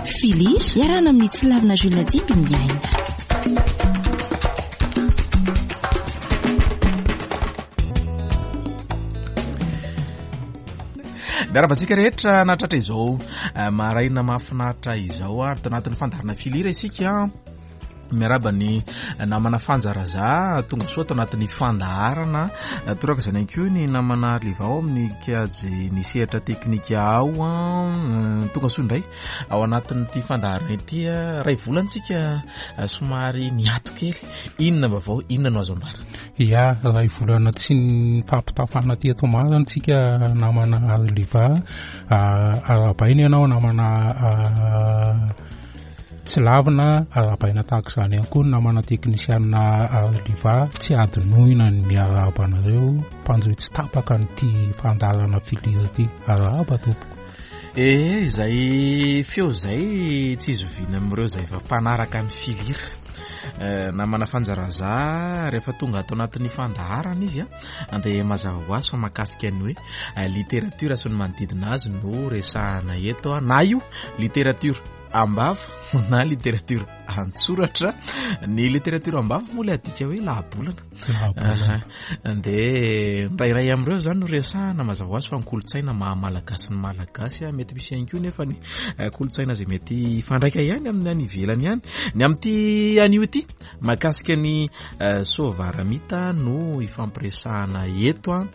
Filir, iarahana amin'ny Tsilavina Jules Dimby ny aina. Miarahaba antsika rehetra nahatratra izao eh, maraina mahafinaritra izao ary tanatin'ny fandaharana filira isika. Miarahaba ny namana Fanja Raza tonga soa ato anatin'ny fandaharana. Toraka izany ihany koa ny namana Arliva ao amin'ny kajy ny sehatra teknika ao. Tonga soa indray ao anatin'ity fandaharana ity. Ray volana tsika somary niato kely. Inona vaovao, inona no azo ambara? Ya, ray volana tsy nifampitafana teto marina tsika namana Arliva. Arahabaina ianao namana Tsy lavina, arahabaina tahaka izany ihany koa ny namana teknisianina Arliva, tsy adinoina ny miarahaba anareo mpanjohy tsy tapaka an'ity fandaharana Filir ity. Arahaba tompoko. Ee, izay feo izay tsy izoviana amin'ireo izay efa mpanaraka ny Filir. Eh, namana Fanja Raza, rehefa tonga ato anatin'ny fandaharana izy a, dia mazava ho azy fa mahakasika ny hoe eh, literatiora sy ny manodidina azy no resahana eto, na io literatiora am-bava na literatiora an-tsoratra. Ny literatiora am-bava moa ilay adika hoe lahabolana. Dia ny iray amin'ireo izany no resahana, mazava ho azy fa ny kolontsaina maha malagasy ny malagasy, mety misy ihany koa nefa ny eh, kolontsaina izay mety hifandraika ihany amin'ny any ivelany ihany. Ny amin'ity anio ity, mahakasika ny eh, Soavaramita no ifampiresahana eto an.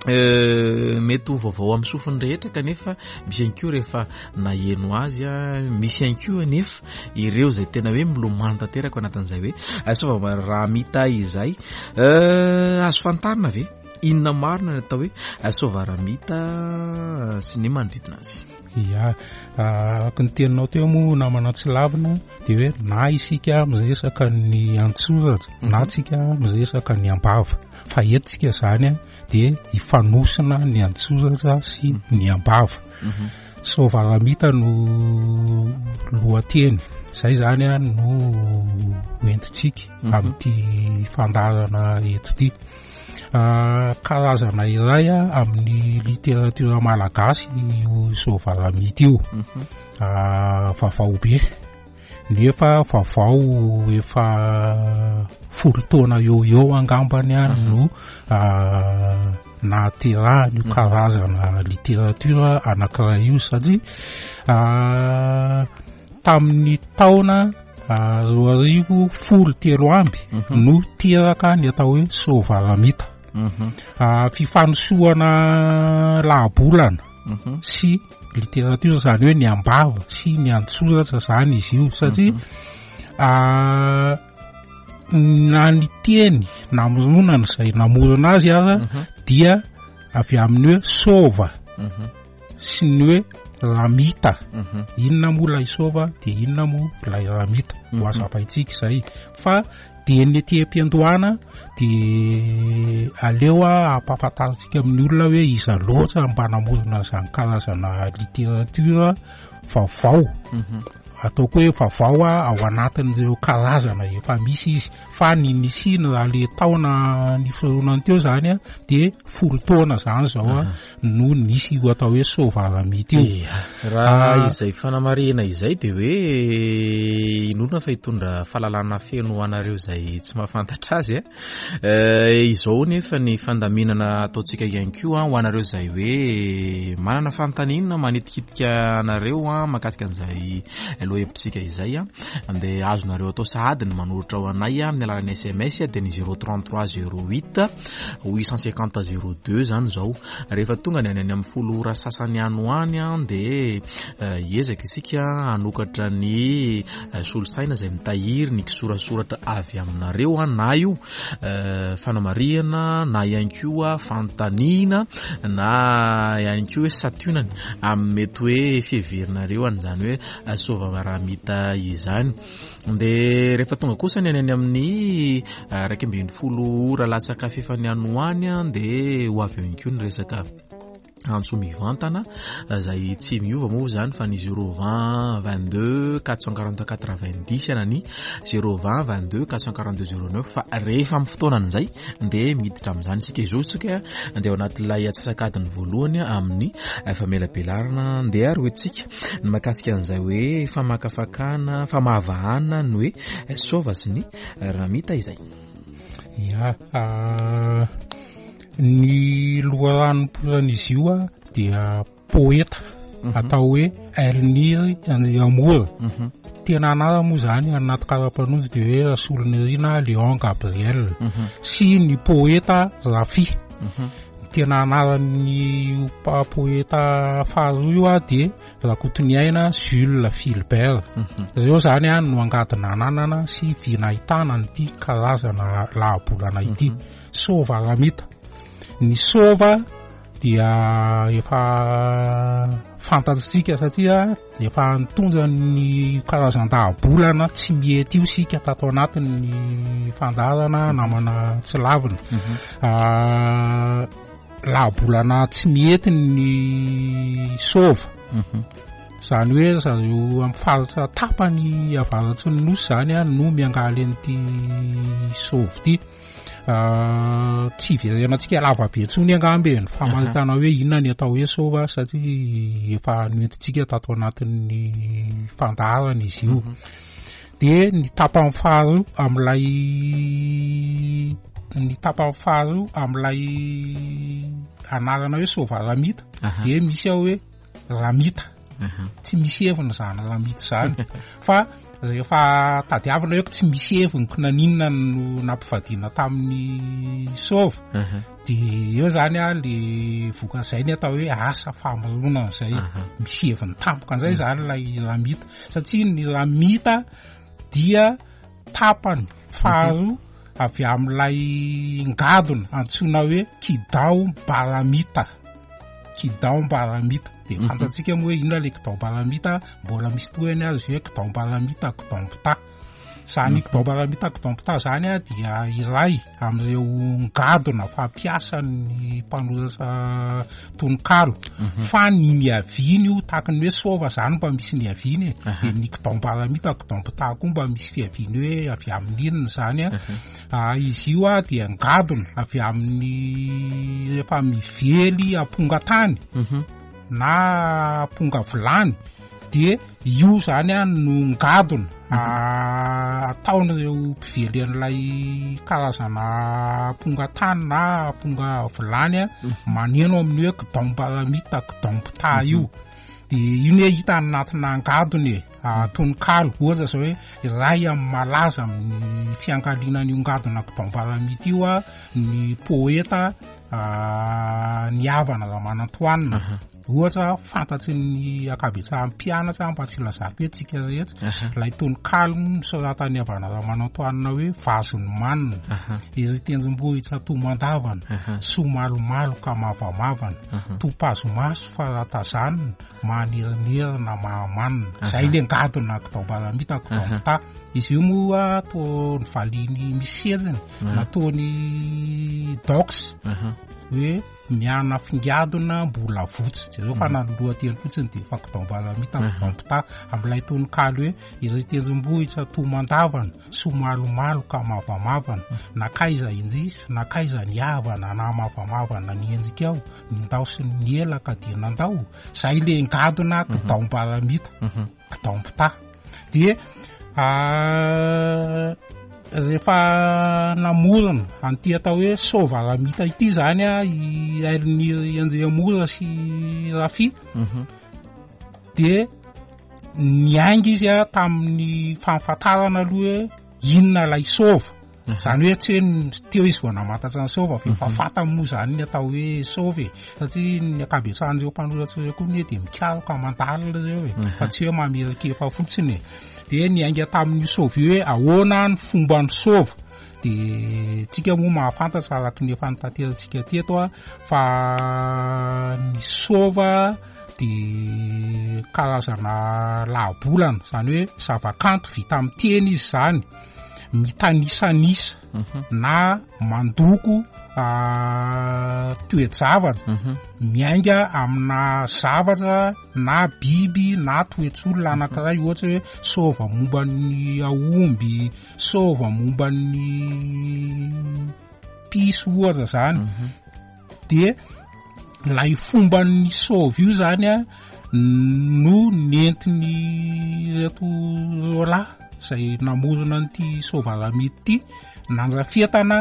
Eh, mety ho vaovao amin'ny sofiny rehetra kanefa misy ihany koa rehefa naheno azy a, misy ihany koa anefa ireo izay tena hoe milomano tanteraka ao anatin'izay hoe eh, Soavaramita izay. Eh, azo fantarina ve inona marina ny atao hoe Soavaramita sy ny manodidina azy? Ya, araka ny teninao teo moa namana tsy lavina dia hoe na isika miresaka ny an-tsoratra na tsika miresaka ny am-bava. Fa eto tsika izany dia hifanosina ny an-tsoratra sy ny am-bava. Mhm. Soavaramita no lohateny. Izay izany no hoentintsika mhm. amin'ity fandaharana eto ity. Ah, karazana iray amin'ny literatiora malagasy io Soavaramita io. Mhm. Ah, vaovao be. Nefa vaovao efa folo taona eo eo angambany a no nahaterahany io karazana literatiora anankiray io satria tamin'ny taona 2013 no teraka ny atao hoe Soavaramita. Fifanosohana lahabolana sy Literatiora izany hoe ny am-bava sy ny an-tsoratra izany izy io satria mhm. ah, na ny teny namoronana izay namorona azy aza mhm. dia avy amin'ny hoe sova mhm. sy ny hoe ramita inona moa ilay sova dia inona moa ilay ramita ho azavaintsika izay fa Dia ny ety am-piandohana dia aleo ampahafantarintsika amin'ny olona hoe iza loatra mba namorona an'izany karazana literatiora vaovao. Mhm. Ataoko hoe vaovao ao anatin'ireo karazana efa misy izy. Fa ny nisiany raha le taona niforonany teo izany dia folo taona izany izao no nisy io atao hoe Soavaramita io. Ia, raha ah. izay fanamarihana izay dia hoe inoana fa hitondra fahalalana feno ho anareo izay tsy mahafantatra azy. Eh, izao nefa ny fandaminana ataontsika ihany koa ho anareo izay hoe manana fanontaniana manitikitika anareo mahakasika an'izay lohahevitsika izay dia azonareo atao sahady ny manoratra ho anay amin'ny alalan'ny SMS dia ny 033 08 850 02 zany zao. Rehefa tonga ny any any amin'ny folo ora sasany any ho any dia eh, hiezaka isika hanokatra ny eh, solosaina izay mitahiry ny kisorasoratra avy aminareo na io eh, fanamarihana na ihany koa fanontaniana na ihany koa hoe sationany amin'ny mety hoe fiheverinareo an'izany hoe soavaramita izany. Dia rehefa tonga kosa ny any any amin'ny 11 ora latsaka fefany any ho any dia ho avy eo ihany koa ny resaka. Antso mivantana izay tsy miova moa izany fa ny 020 22 444 20 na ny 020 22 442 09 fa rehefa amin'ny fotoanan'izay dia miditra amin'izany isika. Izao isika dia ao anatin'ilay antsasak'adiny voalohany amin'ny famelabelarana. Andeha ary hoentintsika ny mahakasika an'izay hoe famakafakana, famahavahana ny hoe sova sy ny ramita izay. Ya, Ny loharanom-poran'izy io dia poeta atao hoe Elniry Andriamora. Tena anarany moa izany anaty kara-panondro dia hoe Rasolonirina Léon Gabriel sy ny poeta Rafy. Ny tena anaran'ny poeta faharoa io dia Rakotoniaina Jules Philbert. Ireo izany no angady nananana sy vy nahitana an'ity karazana lahabolana ity. Sova Ramita. Ny sova dia efa fantatsika satria efa nitondra ny karazan-dahabolana tsy mety io isika tato anatin'ny fandaharana namana tsy lavina. Lahabolana tsy mety ny sova. Izany hoe zareo amin'ny faritra tapany avaratry ny nosy izany no miangaly an'ity sova ity. Tsy hiverenantsika lava be intsony angamba e, ny famaritana hoe inona ny atao hoe sova satria efa noentintsika tato anatin'ny fandaharana izy io. Dia ny tapany faharoa amin'ilay ny tapany faharoa amin'ilay anarana hoe sovaramita dia misy ao hoe ramita. Tsy misy heviny izany ramita izany fa rehefa tadiavina hoe tsy misy heviny ko naninona no nampivadiana tamin'ny sova dia eo izany a le vokan'izay ny atao hoe asa famoronana izay misy heviny tampoka an'izay izany ilay ramita satria ny ramita dia tapany faharoa avy amin'ilay ngadona antsoina hoe kidao baramita. Kidao baramita. Dia fantatsika moa hoe inona ilay kidao baramita, mbola misy tohiny azy hoe kidao baramita, kidao mpitaha. Izany kidao baramita, kidao mpitaha izany dia iray amin'ireo ngadona fampiasan'ny mpanoratra tononkalo. Fa ny niaviany io, tahaka ny hoe sova izany mba misy niaviany e. Dia ny kidao baramita, kidao mpitaha koa mba misy fiaviany hoe avy amin'ny inona izany a. Izy io dia ngadona avy amin'ny rehefa mively amponga tany na amponga vilany dia io izany no ngadona ataon'ireo mpively an'ilay karazana amponga tany na amponga vilany maneno amin'ny hoe kidaombaramita kidaompitaha io. Dia io ne hita anatina angadona e, tononkalo, ohatra zao hoe iray amin'ny malaza amin'ny fiankaliana an'io ngadona kidaombaramita io ny poeta Ny Havana Ramanantoanina. Ohatra fantatry ny ankabetsahan'ny mpianatra mba tsy ilazako hoe tsika rehetra, ilay tononkalo nosoratan'ny Havana Ramanantoanina hoe Vazon'ny manina, ery tendrombohitra tomandavana, soa malomaloka mavamavana, topazo-maso fa raha tazanina, manerinerina mahamanina. Izay ilay ngadona kidaombaramita kidaompitaha. Izy io moa toa novaliany misy heriny, nataony dox hoe miana fingadona mbola votsy. Jereo fa na ny lohateny fotsiny dia efa kidaombaramita kidaompitaha amin'ilay tononkalo hoe iry tendrombohitra tomandavana, soa malomaloka mavamavana, nankaiza indrisy, nankaiza ny havana na mavamavana ny endrikao, nindaosin'ny elaka dia nandao. Izay ilay ngadona kidaombaramita, kidaompitaha. Dia rehefa namorona an'ity atao hoe soavaramita ity izany i Elniry Andriamora sy Rafy, dia niainga izy tamin'ny fahafantarana aloha hoe inona ilay sova. Izany hoe tsy hoe teo izy vao namantatra ny sova fa efa fantany moa izany ny atao hoe sova e. Satria ny ankabetsahan'ireo mpanoratra ireo koa anie dia mikaroka mandalina ireo e, fa tsy hoe mamerin-kefa fotsiny e. Dia niainga tamin'io sova io hoe ahoana ny fomban'ny sova. Dia tsika moa mahafantatra araka ny efa nitaterantsika teto fa ny sova dia karazana lahabolana, izany hoe zavakanto vita amin'ny teny izy izany, mitanisanisa na mandoko toe-javatra miainga amina zavatra na biby na toetr'olona anankiray, ohatra hoe sôva momba ny aomby, sôva momba ny piso ohatra zany. Dia ilay fomban'ny sôva io zany a no nentiny ireto roalahy izay namorona an'ity sôvalamity ity nandrafetana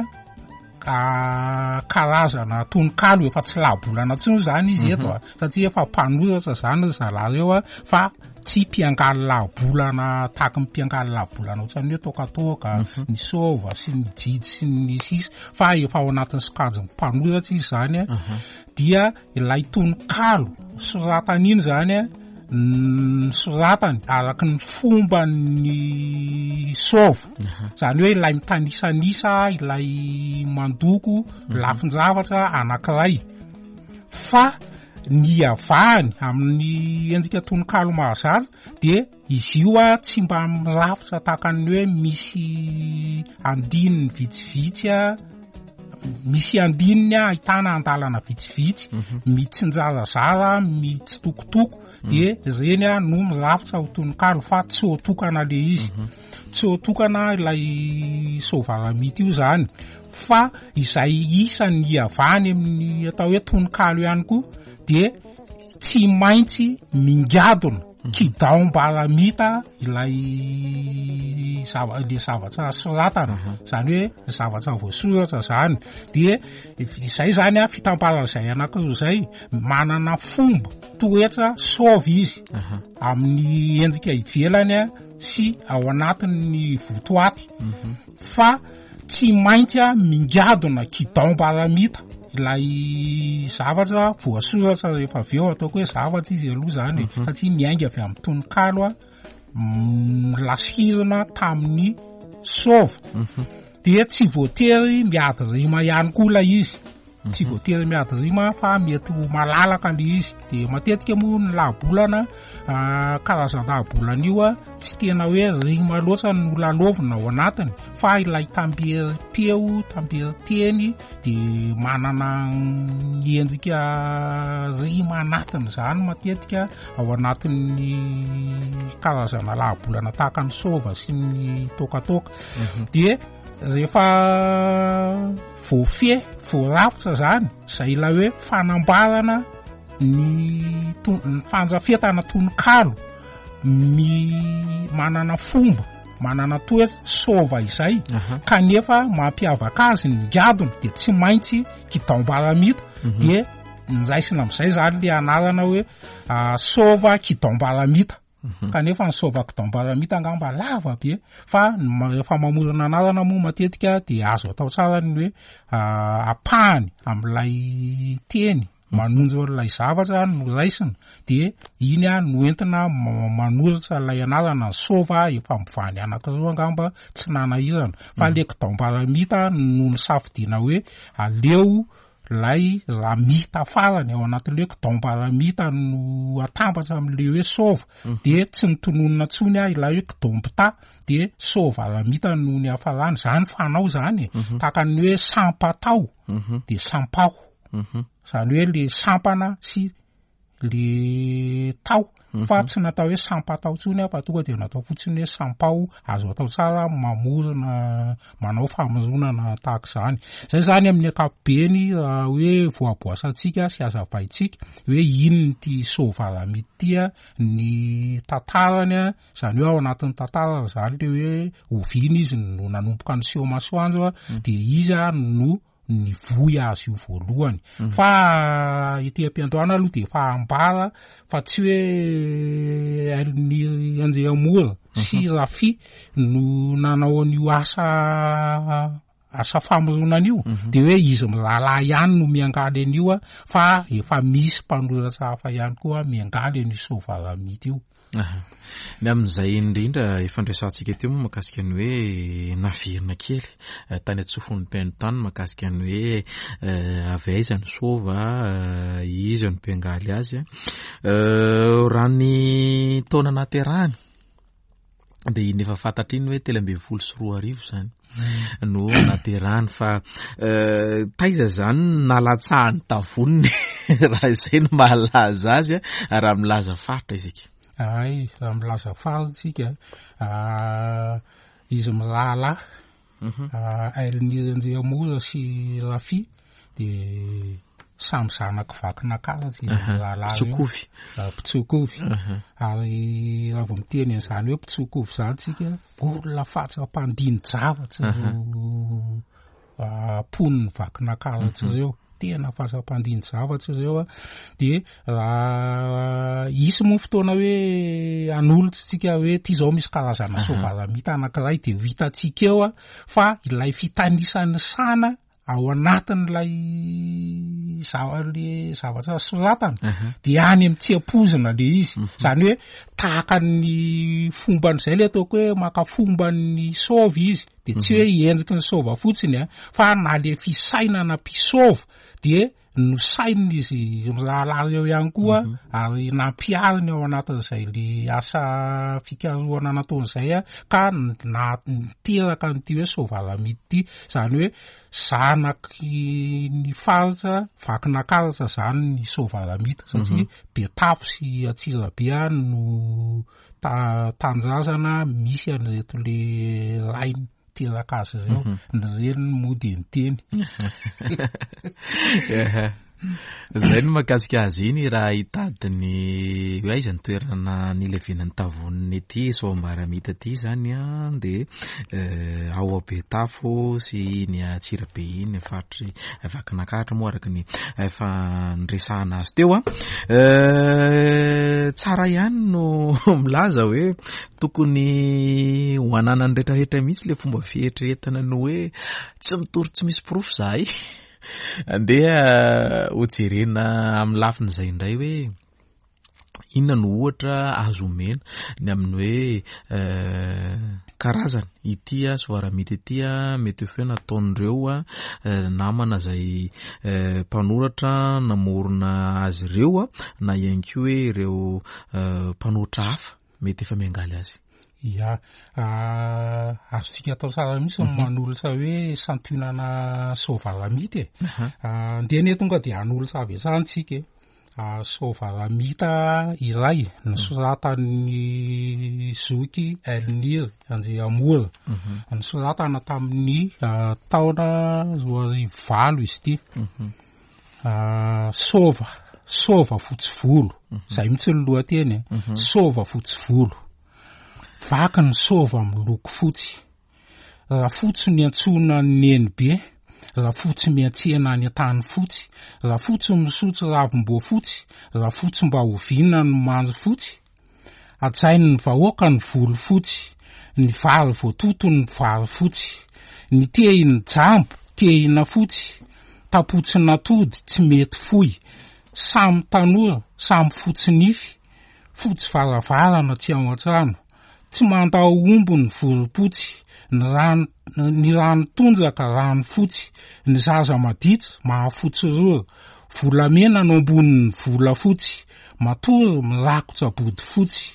karazana tononkalo. Efa tsy lahabolana intsony zany izy eto a, satria efa mpanoratra zany ry zalahy reo a, fa tsy mpiangaly lahabolana tahaky ny mpiangaly lahabolana ohatran'ny hoe tokatoka, ny sôva sy ny jijy sy ny sisa, fa efa ao anatin'ny sokajin'ny mpanoratra izy zany a. Dia ilay tononkalo soratany iny zany a, ny soratany araky ny fomban'ny sôva, zany hoe ilay mitanisanisa, ilay mandoko lafin-javatra anankiray, fa ny iavahany amin'ny endrika tononkalo mahazatra dia izy io a tsy mba mirafitra tahaka ny hoe misy andininy vitsivitsy a, misy andininy a ahitana andalana vitsivitsy mitsinjarazara, mitsitokotoko, de reny a no mirafitra ho tononkalo, fa tsy ho tokana le izy, tsy ho tokana ilay sôvalamity io zany. Fa izay isan'ny iavahany amin'ny atao hoe tononkalo ihany koa de tsy maintsy mingadona kidaombalamita ilay zava-, le zavatra soratana, zany hoe zavatra voasoratra zany. De izay zany a, fitambaran'izay anankiroa izay, manana fomba toetra sôva izy amin'ny endrika ivelany a sy ao anatin'ny votoaty, fa tsy maintsy a mingadona kidaombalamita ilay zavatra voasoratra rehefa avy eo. Ataoko hoe zavatra izy aloha zany e, satria miainga avy amin'ny tononkalo a lasirina tamin'ny sôva. Dia tsy voatery miady rima ihany koa ilay izy, tsy voatery miady rima fa mety ho malalaka le izy. De matetika moa ny lahabolana, karazan-dahabolana io a, tsy tena hoe rima loatra no lalaovina ao anatiny, fa ilay tamberim-peo, tamberin-teny, de manana ny endrika rima anatiny zany matetika ao anatin'ny karazana lahabolana tahaka ny sôva sy ny tôkatôka. De rehefa voafehy, voarafitra zany zay ilay hoe fanambarana ny to-, ny fandrafetana tononkalo manana fomba, manana toetra sôva izay, kanefa mampiavaka azy ny ngadona de tsy maintsy kidaombalamita. De niraisina am'izay zany le anarana hoe sôva kidaombalamita. Kanefa ny sôva kidaombalamita angamba lava be, fa rehefa mamorona anarana moa matetika de azo atao tsara ny hoe ampahany amin'ilay teny manonjo an'ilay zavatra no raisina, de iny a no entina manoratra ilay anarana. Ny sôva efa mivany anankiroa angamba tsy nanahirana, fa le kidaombalamita no nisafidiana hoe aleo lay ramita farany ao anatin'le hoe kidaombalamita no atambatra amin'le hoe sôva, de tsy nitononina intsony a ilay hoe kidaombita, de sôva ramita no niafarany. Zany fanao zany e, tahaka ny hoe sampatao de sampaho, zany hoe le sampana sy le tao, fa tsy natao hoe sampatao intsony a, fa tonga de natao fotsiny hoe sampaho. Azo atao tsara mamorona, manao famoronana tahaka izany. Zay zany amin'ny ankapobeny raha hoe voaboasantsika sy hazavaintsika hoe inona ity sôvalamity ity a, ny tantarany a, zany hoe ao anatin'ny tantarany zany le hoe oviana izy no nanomboka niseho masoandro a, de iza no nivoy azy io voalohany. Fa ety am-piandohana aloha de efa ambara fa tsy hoe Elnir Andriamora sy Rafi no nanao an'io asa famoronana io, de hoe izy mirahalahy ihany no miangaly an'io a, fa efa misy mpanoratra hafa ihany koa miangaly an'io sôvalamity io. Aha. Ny amin'izay indrindra efa noresahantsika teo moa mahakasika ny hoe naverina kely tany an-tsofin'ny mpihaino tany mahakasika ny hoe avy aiza ny sôva, iza no mpiangaly azy. Raha ny taona nahaterahany. Dia iny efa fantatra iny hoe 2013 izany no naterahany fa taiza izany no nalatsahany tavoniny raha izay no mahalaza azy raha milaza faritra isika. Ay, raha milaza faritra isika, izy mirahalahy Elnir Andriamora sy Rafi dia samy zanak'i Vakinankaratra izy mirahalahy ireo. Mpitsokovy. Mpitsokovy. Ary raha vao miteny an'izany hoe mpitsokovy izany tsika, olona fatra mpandini-javatra ireo mponin'i Vakinankaratra ireo. Tena fatra mpandini-javatra ireo an. Dia raha hisy moa fotoana hoe hanolotra tsika hoe ty zao misy karazana soavalamita anankiray dia ho hitantsika eo an, fa ilay fitanisan'ny sana ao anatin'ilay le zavatra soratana dia any amin'ny tsy ampoizina le izy. Izany hoe tahaka ny fomban'izay le ataoko hoe maka fomban'ny sôva izy, dia tsy hoe endriky ny sôva fotsiny an, fa na le fisainana mpisôva dia nosainina izy mirahalahy ireo ihany koa ary nampihariny ao anatin'izay le asa fikarohana nataony izay ka niteraka an'ity hoe Soavalamity ity, izany hoe zanaky ny faritra Vakinankaratra izany ny Soavalamity satria Betafo sy Antsirabe no tanindrazana misy an'ireto le rainy teraka azy ireo, ny reniny moa dia niteny. Zay no mahakasika azy iny raha hitady ny hoe aiza ny toerana nilevenan'ny tavoniny ity Soambaramita ity zany an, dia ao Betafo sy iny Antsirabe iny faritry Vakinankaratra moa araka ny efa niresahana azy teo an. Tsara ihany no milaza hoe tokony ho ananan'ny rehetrarehetra mihitsy ilay fomba fieritreretana ny hoe tsy mitory tsy misy porofo izahay. Andeha hojerena amin'ny lafin'izay indray hoe inona no ohatra azo omena ny amin'ny hoe karazany ity soaramita ity mety ho feo nataon'ireo namana izay mpanoratra namorona azy ireo na ihany koa hoe ireo mpanoratra hafa mety efa miangaly azy. Ya, azontsika atao tsara mihitsy ny manolotra hoe santionana soavalamita e. Andeha anie tonga dia hanolotra avy hatrany tsika e. Soavalamita iray nosoratan'ny zoky Elnir Andriamora. Nosoratana tamin'ny taona 2008 izy ity. Sôva, sôva fotsy volo, zay mihitsy ny lohateny e. Sôva fotsy volo. Vaky ny sôva miloko fotsy. Rafotsy niantsoana an'i Nenibe, Rafotsy miantsena any an-tany fotsy, Rafotsy misotro ravim-boafotsy, Rafotsy mba oviana no mandry fotsy? Hajain'ny vahoaka ny volo fotsy, ny vary voatoto ny vary fotsy, ny tehin'ny jambo tehina fotsy, tapotsin'atody tsy mety foy, samy tanora, samy fotsy nify, fotsy varavarana tsy ao an-trano, tsy mandao omby ny vorom-potsy, ny rano ny rano tondraka rano fotsy, ny zaza maditra mahafotsy rora, volamena no ambonin'ny volafotsy, matory mirakotra bodofotsy,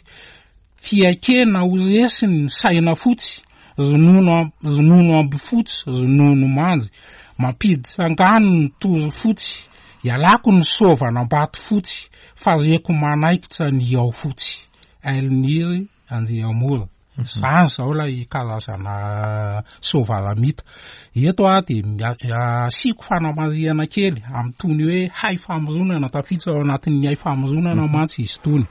fiaikena ho resy ny saina fotsy, ronono ronono ambifotsy, ronono mandry, mampiditra angano ny toro fotsy, ialako ny sôvan'Ambato fotsy, fa reko manaikitra ny ao fotsy. Elniry Andriamora. Izany izao ilay karazana soavalamita. Eto aho dia asiako fanamarihana kely amin'itony hoe hay famoronana, tafiditra ao anatin'ny hay famoronana mantsy izy itony.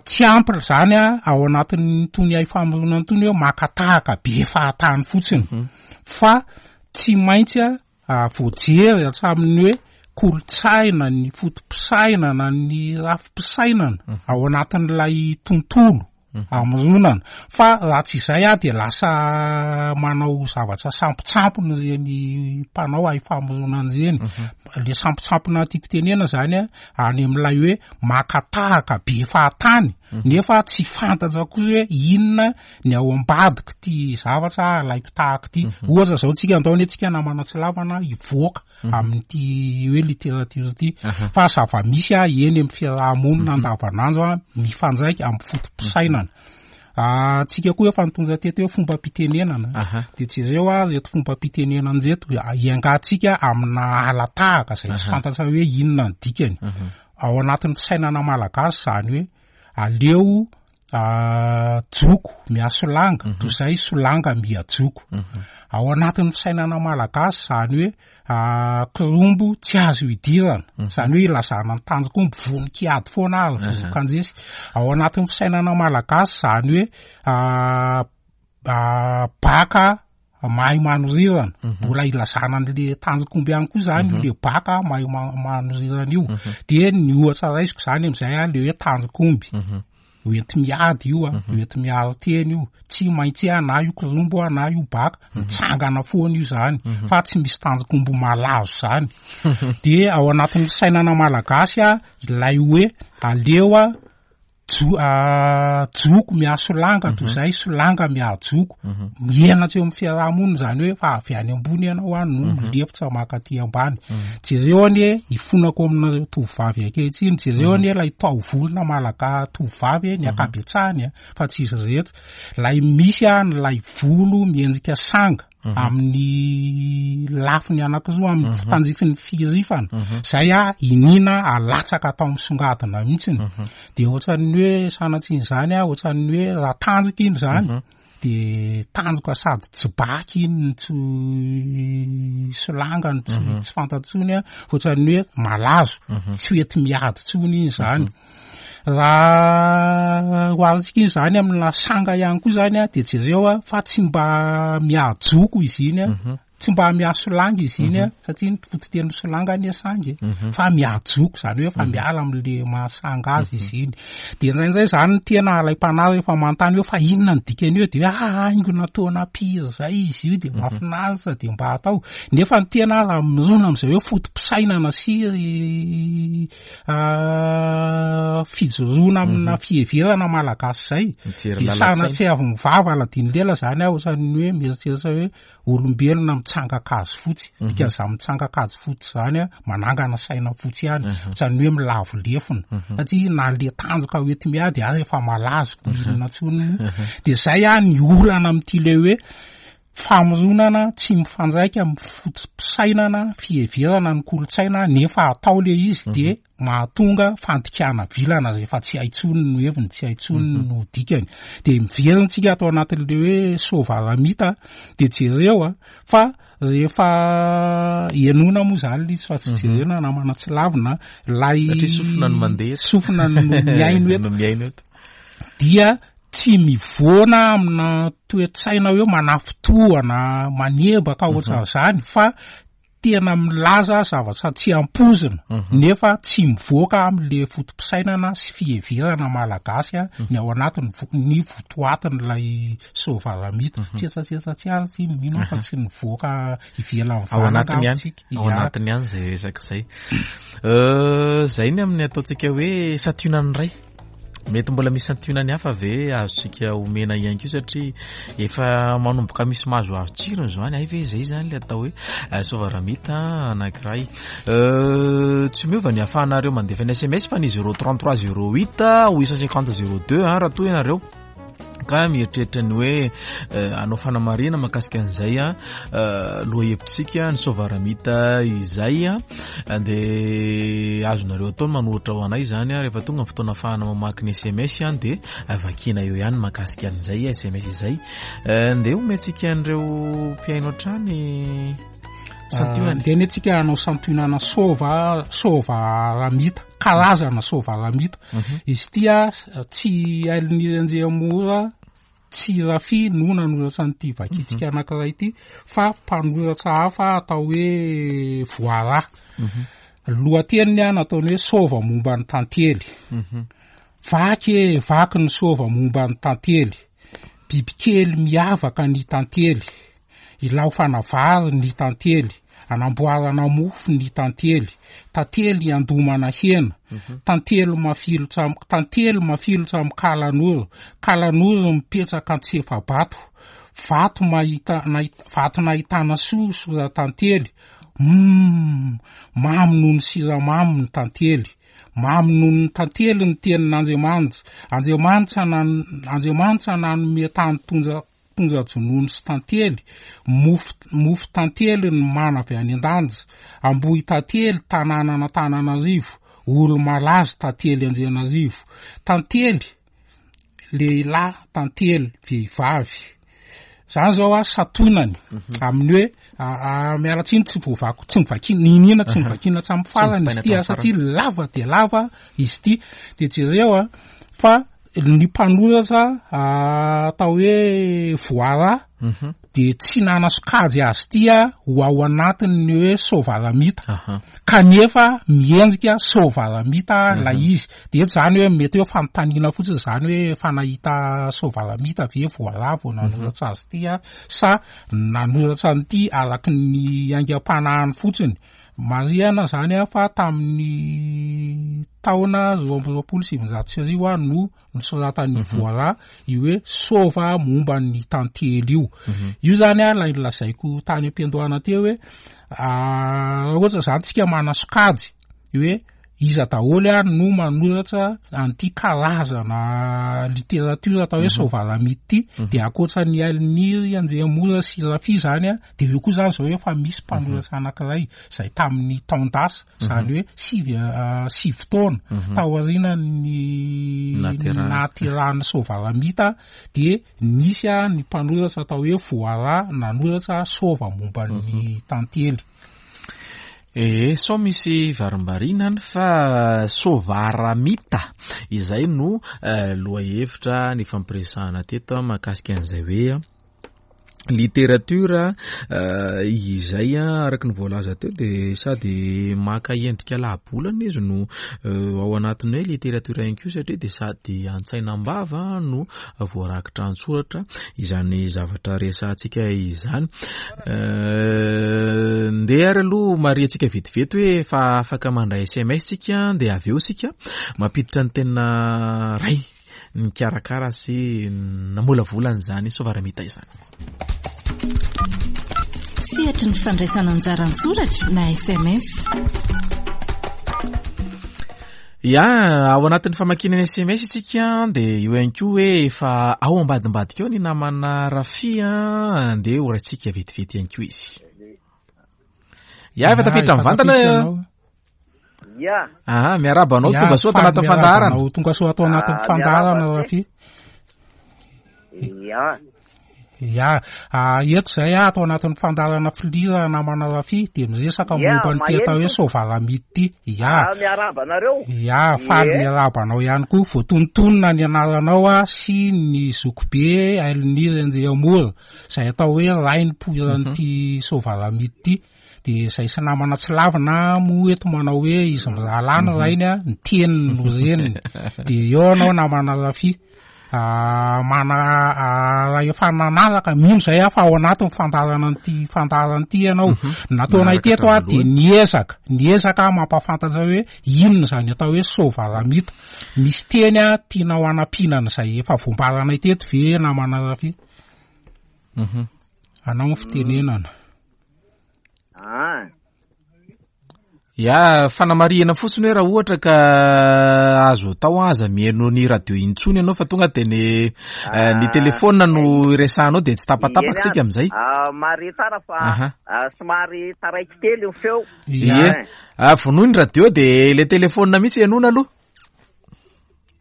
Tsy ampy izany ao anatin'itony hay famoronana itony hoe maka tahaka be fahatany fotsiny fa tsy maintsy voajery hatramin'ny hoe kolontsaina, ny foto-pisainana, ny rafi-pisainana ao anatin'ilay tontolo amoronana. Fa raha tsy izay aho dia lasa manao zavatra sampotsampona ireny mpanao hay famoronana ireny. Le sampotsampona tiako tenena zany a, any amin'ilay hoe maka tahaka be fahatany nefa tsy fantatra koa hoe inona ny ao ambadik'ity zavatra alaiko tahaka ity. Ohatra zao tsika andao anie tsika namana tsy lavana hivoaka amin'ity hoe littérature ity. Fa zava-misy a eny amin'ny fiaraha-monina andavanandro a mifandraika amin'ny foto-pisainana. Tsika koa efa nitondra teto hoe fombam-pitenenana. De jereo ary ireto fombam-pitenenana ireto, iangatsika amina ala-tahaka izay tsy fantatra hoe inona ny dikany. Ao anatin'ny fisainana malagasy izany hoe aleo joko mihasolanga toy izay solanga mihajoko. Ao anatin'ny fisainana malagasy izany hoe kirombo tsy azo idirana, izany hoe ilazana ny tanjok'omby vonon-kiady foana ary vonon-kandresy. Ao anatin'ny fisainana malagasy izany hoe baka mahay manorirana, mbola ilazana an'le tanjok'omby ihany koa izany io le baka mahay manorirana io. De ny ohatra raisiko izany amin'izay a, le hoe tanjok'omby. Hoenti-miady io a, hoenti-miaro tena io, tsy maintsy a na io kirombo a na io baka, mitsangana foana io zany, fa tsy misy tanjok'omby malazo zany. De ao anatin'ny fisainana malagasy a, ilay hoe aleo a joko mihasolanga toy izay solanga mihajoko. Mihenatra eo amin'ny fiaraha-monina izany hoe fa avy any ambony ianao a no milefitra maka aty ambany. Jereo anie, ifonako aminareo tovovavy ankehitriny, jereo anie ilay taovolona malaka tovovavy ny ankabetsahany a, fa tsy izy rehetra. Ilay misy a, ilay volo miendrika sanga amin'ny lafiny anankiroa amin'ny tandrifin'ny firifana. Izay a, iniana alatsaka atao misongadina mihitsiny. De ohatran'ny hoe sanatrian'izany a, ohatran'ny hoe raha tanjaka iny izany, de tanjoka sady tsy baky iny no tsy solanga no tsy fantatra intsony a, ohatran'ny hoe malazo, tsy ho enti-miady intsony iny izany. Raha oharintsika iny izany amina sanga ihany koa izany a, de jereo a, fa tsy mba mihajoko izy iny a, Tsy mba mihasolanga izy iny a, satria ny fototenin'ny solanga anie sangy e, fa mihajoko, izany hoe efa miala amin'le mahasanga azy izy iny. De indraindray izany ny tena alaim-panahy rehefa manontany hoe fa inona ny dikan'io de hoe ah, haingo nataona pire zay izy io de mahafinaritra de mba atao. Nefa ny tena raha mirona amin'izay hoe foto-pisainana sy fijoroana amina fiheverana malagasy izay, de sanatria avy mivava aladino lela izany aho, ohatran'ny hoe mieritreritra hoe Olombelona mitsangan-kazo fotsy, dikan'izany mitsangan-kazo fotsy izany a, manangana saina fotsy ihany, ohatran'ny hoe milavo lefona, satria na le tanjaka ho enti-miady ary efa malazo ko inona intsony moa. De zay a ny olana amin'ity le hoe famoronana tsy mifandraika amin'ny foto-pisainana, fiheverana ny kolontsaina nefa atao le izy de mahatonga fandikana vilana zay efa tsy hay tsony no heviny, tsy hay tsony mhm. no dikany. De miverina tsika ato anatin'le hoe soavaramita de jereo a fa rehefa enona moa zany le izy fa tsy mhm. jerena namana tsy lavina lay sofina no mandeha sofina no mihaino eto mihaino eto dia tsy mivoana amina toe-tsaina hoe manafotohana manebaka mhm. ohatran'izany fa tena milaza zavatra tsy ampoizina nefa tsy mivoaka amin'le foto-pisainana sy fiheverana malagasy a, ny ao anatiny ny votoatin'ilay soavalamita. Tsetsatsetsa tsy ary tsy mino aho fa tsy nivoaka ivelan'ny Ao vava anatiny angamba ihany, tsika. ao Ia. anatiny ihany izay resaka izay. Izay ny amin'ny ataontsika hoe santionany iray. Mety mbola misy santionany hafa ve azontsika omena ihany koa satria efa manomboka misy mahazoazo tsirony izao any, hay ve izay izany ilay atao hoe eh, soavaramita anankiray. Euh, tsy miova ny ahafahanareo mandefa ny SMS fa ny 033 08 850 02 raha toa ianareo ka mieritreritra ny hoe eh, hanao fanamarihana mahakasika an'izay a eh, lohahevitsika ny soavaramita izay a dia azonareo atao ny manoratra ho anay izany a rehefa tonga ny fotoana ahafahana mamaky ny SMS a dia vakiana eo ihany mahakasika an'izay SMS izay eh, ndeha omentsika an'ireo mpihaino hatrany santionany Ndeha anie tsika hanao santionana sova soavaramita, karazana soavaramita. Izy ity a tsy Hailiniry Andriamora tsy Rafy no nanoratra an'ity vakintsika anankiray ity fa mpanoratra hafa atao hoe Voara. Lohateniny a nataony hoe sova momba ny tantely. Vaky e, vaky ny sova momba ny tantely. Bibikely miavaka ny tantely. Ilaofana vary ny tantely, anamboarana mofo ny tantely, tantely iandomana hena, tantely mafilotra am, tantely mafilotra amin'ny kalanoro, kalanoro mipetraka an-tsefa-bato, vato mahita, nahit, vato nahitana soa sora-tantely, humm, mamy noho ny siramamy ny tantely. Mamy noho ny tantely ny tenin'Andriamanitra. Andriamanitra nan, Andriamanitra nanome tany tonja, tonja-jonono sy tantely, mofo, mofo tantely ny mana avy any an-danitra. Ambohitantely, tanànan'Antananarivo, olo-malaza tantely Andrianarivo. Tantely, lehilahy tantely vehivavy zany zao a satonany mhm. amin'ny hoe miala tsiny tsy voavako tsy mivakina niniana tsy mivakina hatramin'ny farany izy ity a satria lava de lava izy ity de jereo a fa ny mpanoratra atao hoe voara mhm. de tsy nanasokajy azy ity a ho ao anatin'ny hoe soavalamita kanefa miendrika soavalamita mhm. lay izy de eto zany hoe mety hoe fanontaniana fotsiny zany hoe efa nahita soavalamita ve voala vao nanoratra azy ity a sa nanoratra an'ity araky ny aingam-panahiny fotsiny marihana zany a fa tamin'ny taona 1922 a no nosoratan'i mhm. Voara io hoe sova momba ny tantely io. Mhm. Io zany a ilay nolazaiko tany am-piandohana teo hoe ah, raha ohatra zany tsika manasokajy hoe iza daholo a no manoratra an'ity karazana literatiora atao hoe mhm. sovalamity ity de ankoatra ny Aliniry Andriamora sy Rafia zany a de eo koa zany zao efa misy mpanoratra anankiray zay tamin'ny taon-dasa izany hoe sivy sivy taona mhm. taorian'ny nahaterahan'ny soavalamita dia nisy a ny mpanoratra atao hoe voara nanoratra sova momba ny mhm. tantely Ee, sao misy varimbariana any fa sovaramita izay no eh, lohahevitra nifampiresahana teto mahakasika an'izay hoe Literatiora izay araka ny voalaza teo dia sady maka endrika lahabolana izy no ao anatin'ny hoe literatiora ihany koa satria dia sady an-tsaina am-bava no voarakitra an-tsoratra izany zavatra resahantsika izany. Ndeha ary aloha marihantsika vetivety hoe efa afaka mandray sms isika dia avy eo isika mampiditra ny tena ray. nikarakara sy namolavola an'izany Sovaramita izany. Sehatry ny fandraisana anjara an-tsoratra na sms. Ya, ao anatin'ny famakiana ny sms isika dia eo ihany koa hoe efa ao ambadimbadika ao ny namana Rafia, andeha ho raintsika vetivety ihany koa izy. Ya, efa tafiditra mivantana. Ya. Aha, miarahaba anao tonga soa ato anatin'ny fandaharana. Anao tonga soa ato anatin'ny ah, fandaharana Rafi. Ya. Ya, ah, eto izay aho ato anatin'ny fandaharana filira namana Rafi dia miresaka momba ny atao hoe soavalamity ity. Ya. Ah, miarahaba anareo. Ya, faly miarahaba anao ihany koa. Voatonontonona ny anaranao ah, sy ny zokibe Ailiniry Andriamora izay atao hoe rainy poiran'ity mhm. soavalamity ity. De izay sy namana tsy lavina moa eto manao hoe izy mirahalahy ny mhm. rainy a, ny teniny no reniny. De eo anao namana Rafi. Ah, mana ah, raha efa nanaraka mino izay aho fa ao anatin'ny fandaharana an'ity fandaharana ity ianao. Mhm. Nataonay teto aho de niezaka, niezaka mampahafantatra hoe inona izany atao hoe soavalamita. Misy teny a tianao hanampiana an'izay efa voambaranay teto ve namana Rafi? Mhm. Anao ny fitenenana. Ah. Ya, fanamarihana fotsiny hoe raha ohatra ka azo atao aza mihaino ny radio intsony ianao fa tonga dia ny eh, ny ah, telefona no iresahanao dia tsy tapatapaka isika amin'izay. Ah, mare tsara fa ah, somary taraiky kely ny feo. Ie. Ah, vonoy ny radio dia ilay telefona mihitsy henoina aloha.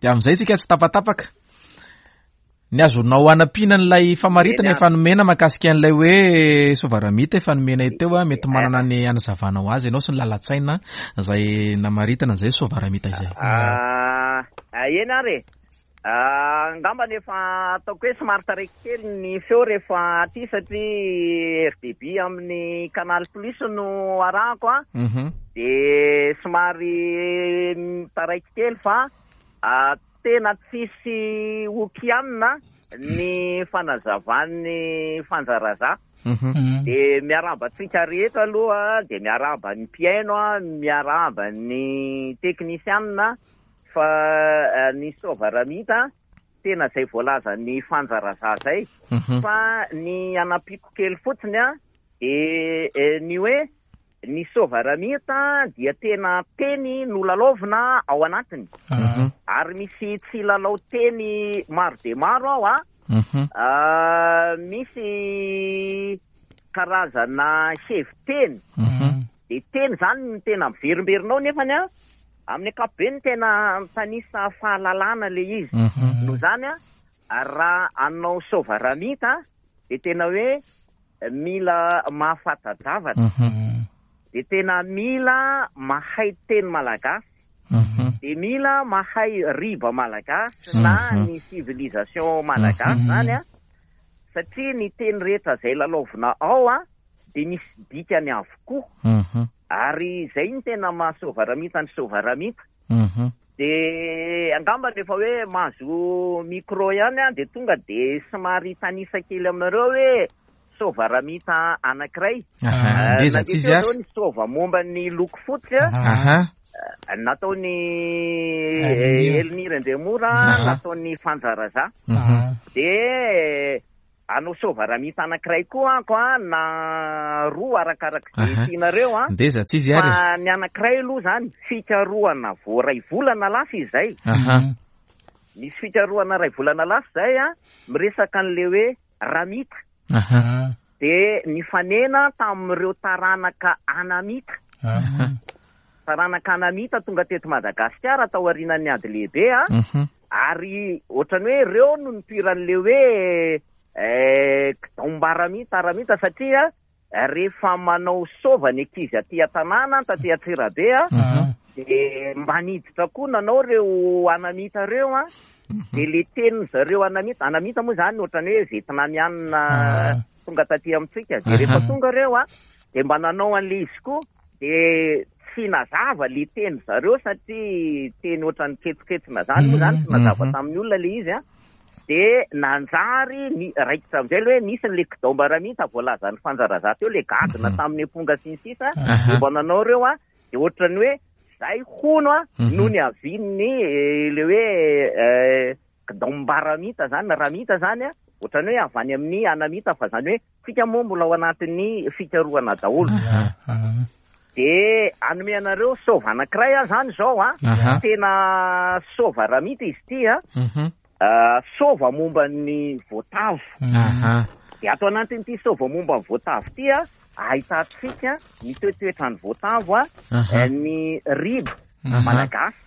Dia amin'izay isika tsy tapatapaka. Ny azonao anampiana an'ilay famaritana efa nomena mahakasika an'ilay hoe sovaramita efa nomenay teo a, mety manana ny anazavanao azy ianao sy ny lalan-tsaina izay namaritana izay sovaramita izay. Ah, eny ary e. Ah, angambany efa ataoko hoe somary taraiky kely ny feo rehefa aty satria RDB amin'ny Canal Plus no arahako a. Mhm. Dia somary taraiky kely fa ah, Tena tsisy ho kianina ny fanazavan'ny Fanja Razah. Mhm. Dia miarahaba antsika rehetra aloha, dia miarahaba ny mpihaino, miarahaba ny teknisianina fa eh, ny Soavaramita tena izay voalazan'ny Fanja Razah izay. Mhm. Fa ny anampiako kely fotsiny a, dia eh, ny hoe Ny Soavaramita dia tena teny nolalaovina ao anatiny. Ary misy tsilalao teny maro dia maro ao a. Misy karazana hevi-teny. Dia teny izany no tena miverimberina ao nefany a, amin'ny ankapobeny tena mitanisa fahalalana ilay izy. Noho izany a, raha hanao Soavaramita dia tena hoe mila mahafanta-javatra, dia tena mila mahay teny malagasy, dia mila mahay riba malagasy na ny civilisation malagasy izany an, satria ny teny rehetra izay lalaovina ao an, dia misy dikany avokoa, ary izay no tena maha Soavaramita ny Soavaramita. Dia angamba rehefa hoe mahazo micro ihany aho dia tonga dia somary hitanisa kely aminareo hoe sôva ramita anankiray. Aha, ngeza tsy izy ary. Ny sôva momba ny loko fotsy a. Aha. Nataon'i Elnir Andriamora, nataon'i Fanja Raza. Dia Hanao soavaramita anankiray koa ako a, na roa arakarak'izay Aha. tianareo a. Ndeza tsy izy ary e. Fa ny anankiray aloha izany, fikarohana vao iray volana lasa izay. Aha. Misy fikarohana iray volana lasa izay a, miresaka an'ilay hoe ramita. Aha. Dia nifanena tamin'ireo taranaka anamita. Aha. Taranaka anamita tonga teto Madagasikara taorianan'ny ady lehibe a. Ary ohatran'ny hoe ireo no nipoiran'ilay hoe kidaombaramita aramita satria rehefa manao sôva ny ankizy aty an-tanàna taty Antsirabe a, dia mba niditra koa nanao ireo anamita ireo a, dia le tenin-dry zareo anamita, anamita moa izany ohatran'ny hoe vietnamianina tonga taty amintsika, dia rehefa tonga ireo a, dia mba nanao an'ilay izy koa. Dia tsy nazava le teny zareo satria teny ohatran'ny ketoketona zany moa zany tsy nazava tamin'ny olona le izy an. Dia nanjary ny raikitra amin'izay le hoe nisy ny le kidaombaramita voalazan'ny Fanja Raza teo le gadona tamin'ny amponga sy ny sisa dia mba nanao ireo an. Dia ohatran'ny hoe zay hono an no niavian'ny le hoe kidaombaramita zany, ramita zany an, ohatran'ny hoe avy any amin'ny anamita fa zany hoe Tsika moa mbola ao anatin'ny fikarohana daholo. Dia hanome anareo sôva anankiray aho izany izao a. Tena sôva ramita izy ity a. Sôva momba ny voatavo. Dia ato anatin'ity sôva momba ny voatavo ity a, ahitantsika ny toetoetran'ny voatavo a, ny riba malagasy.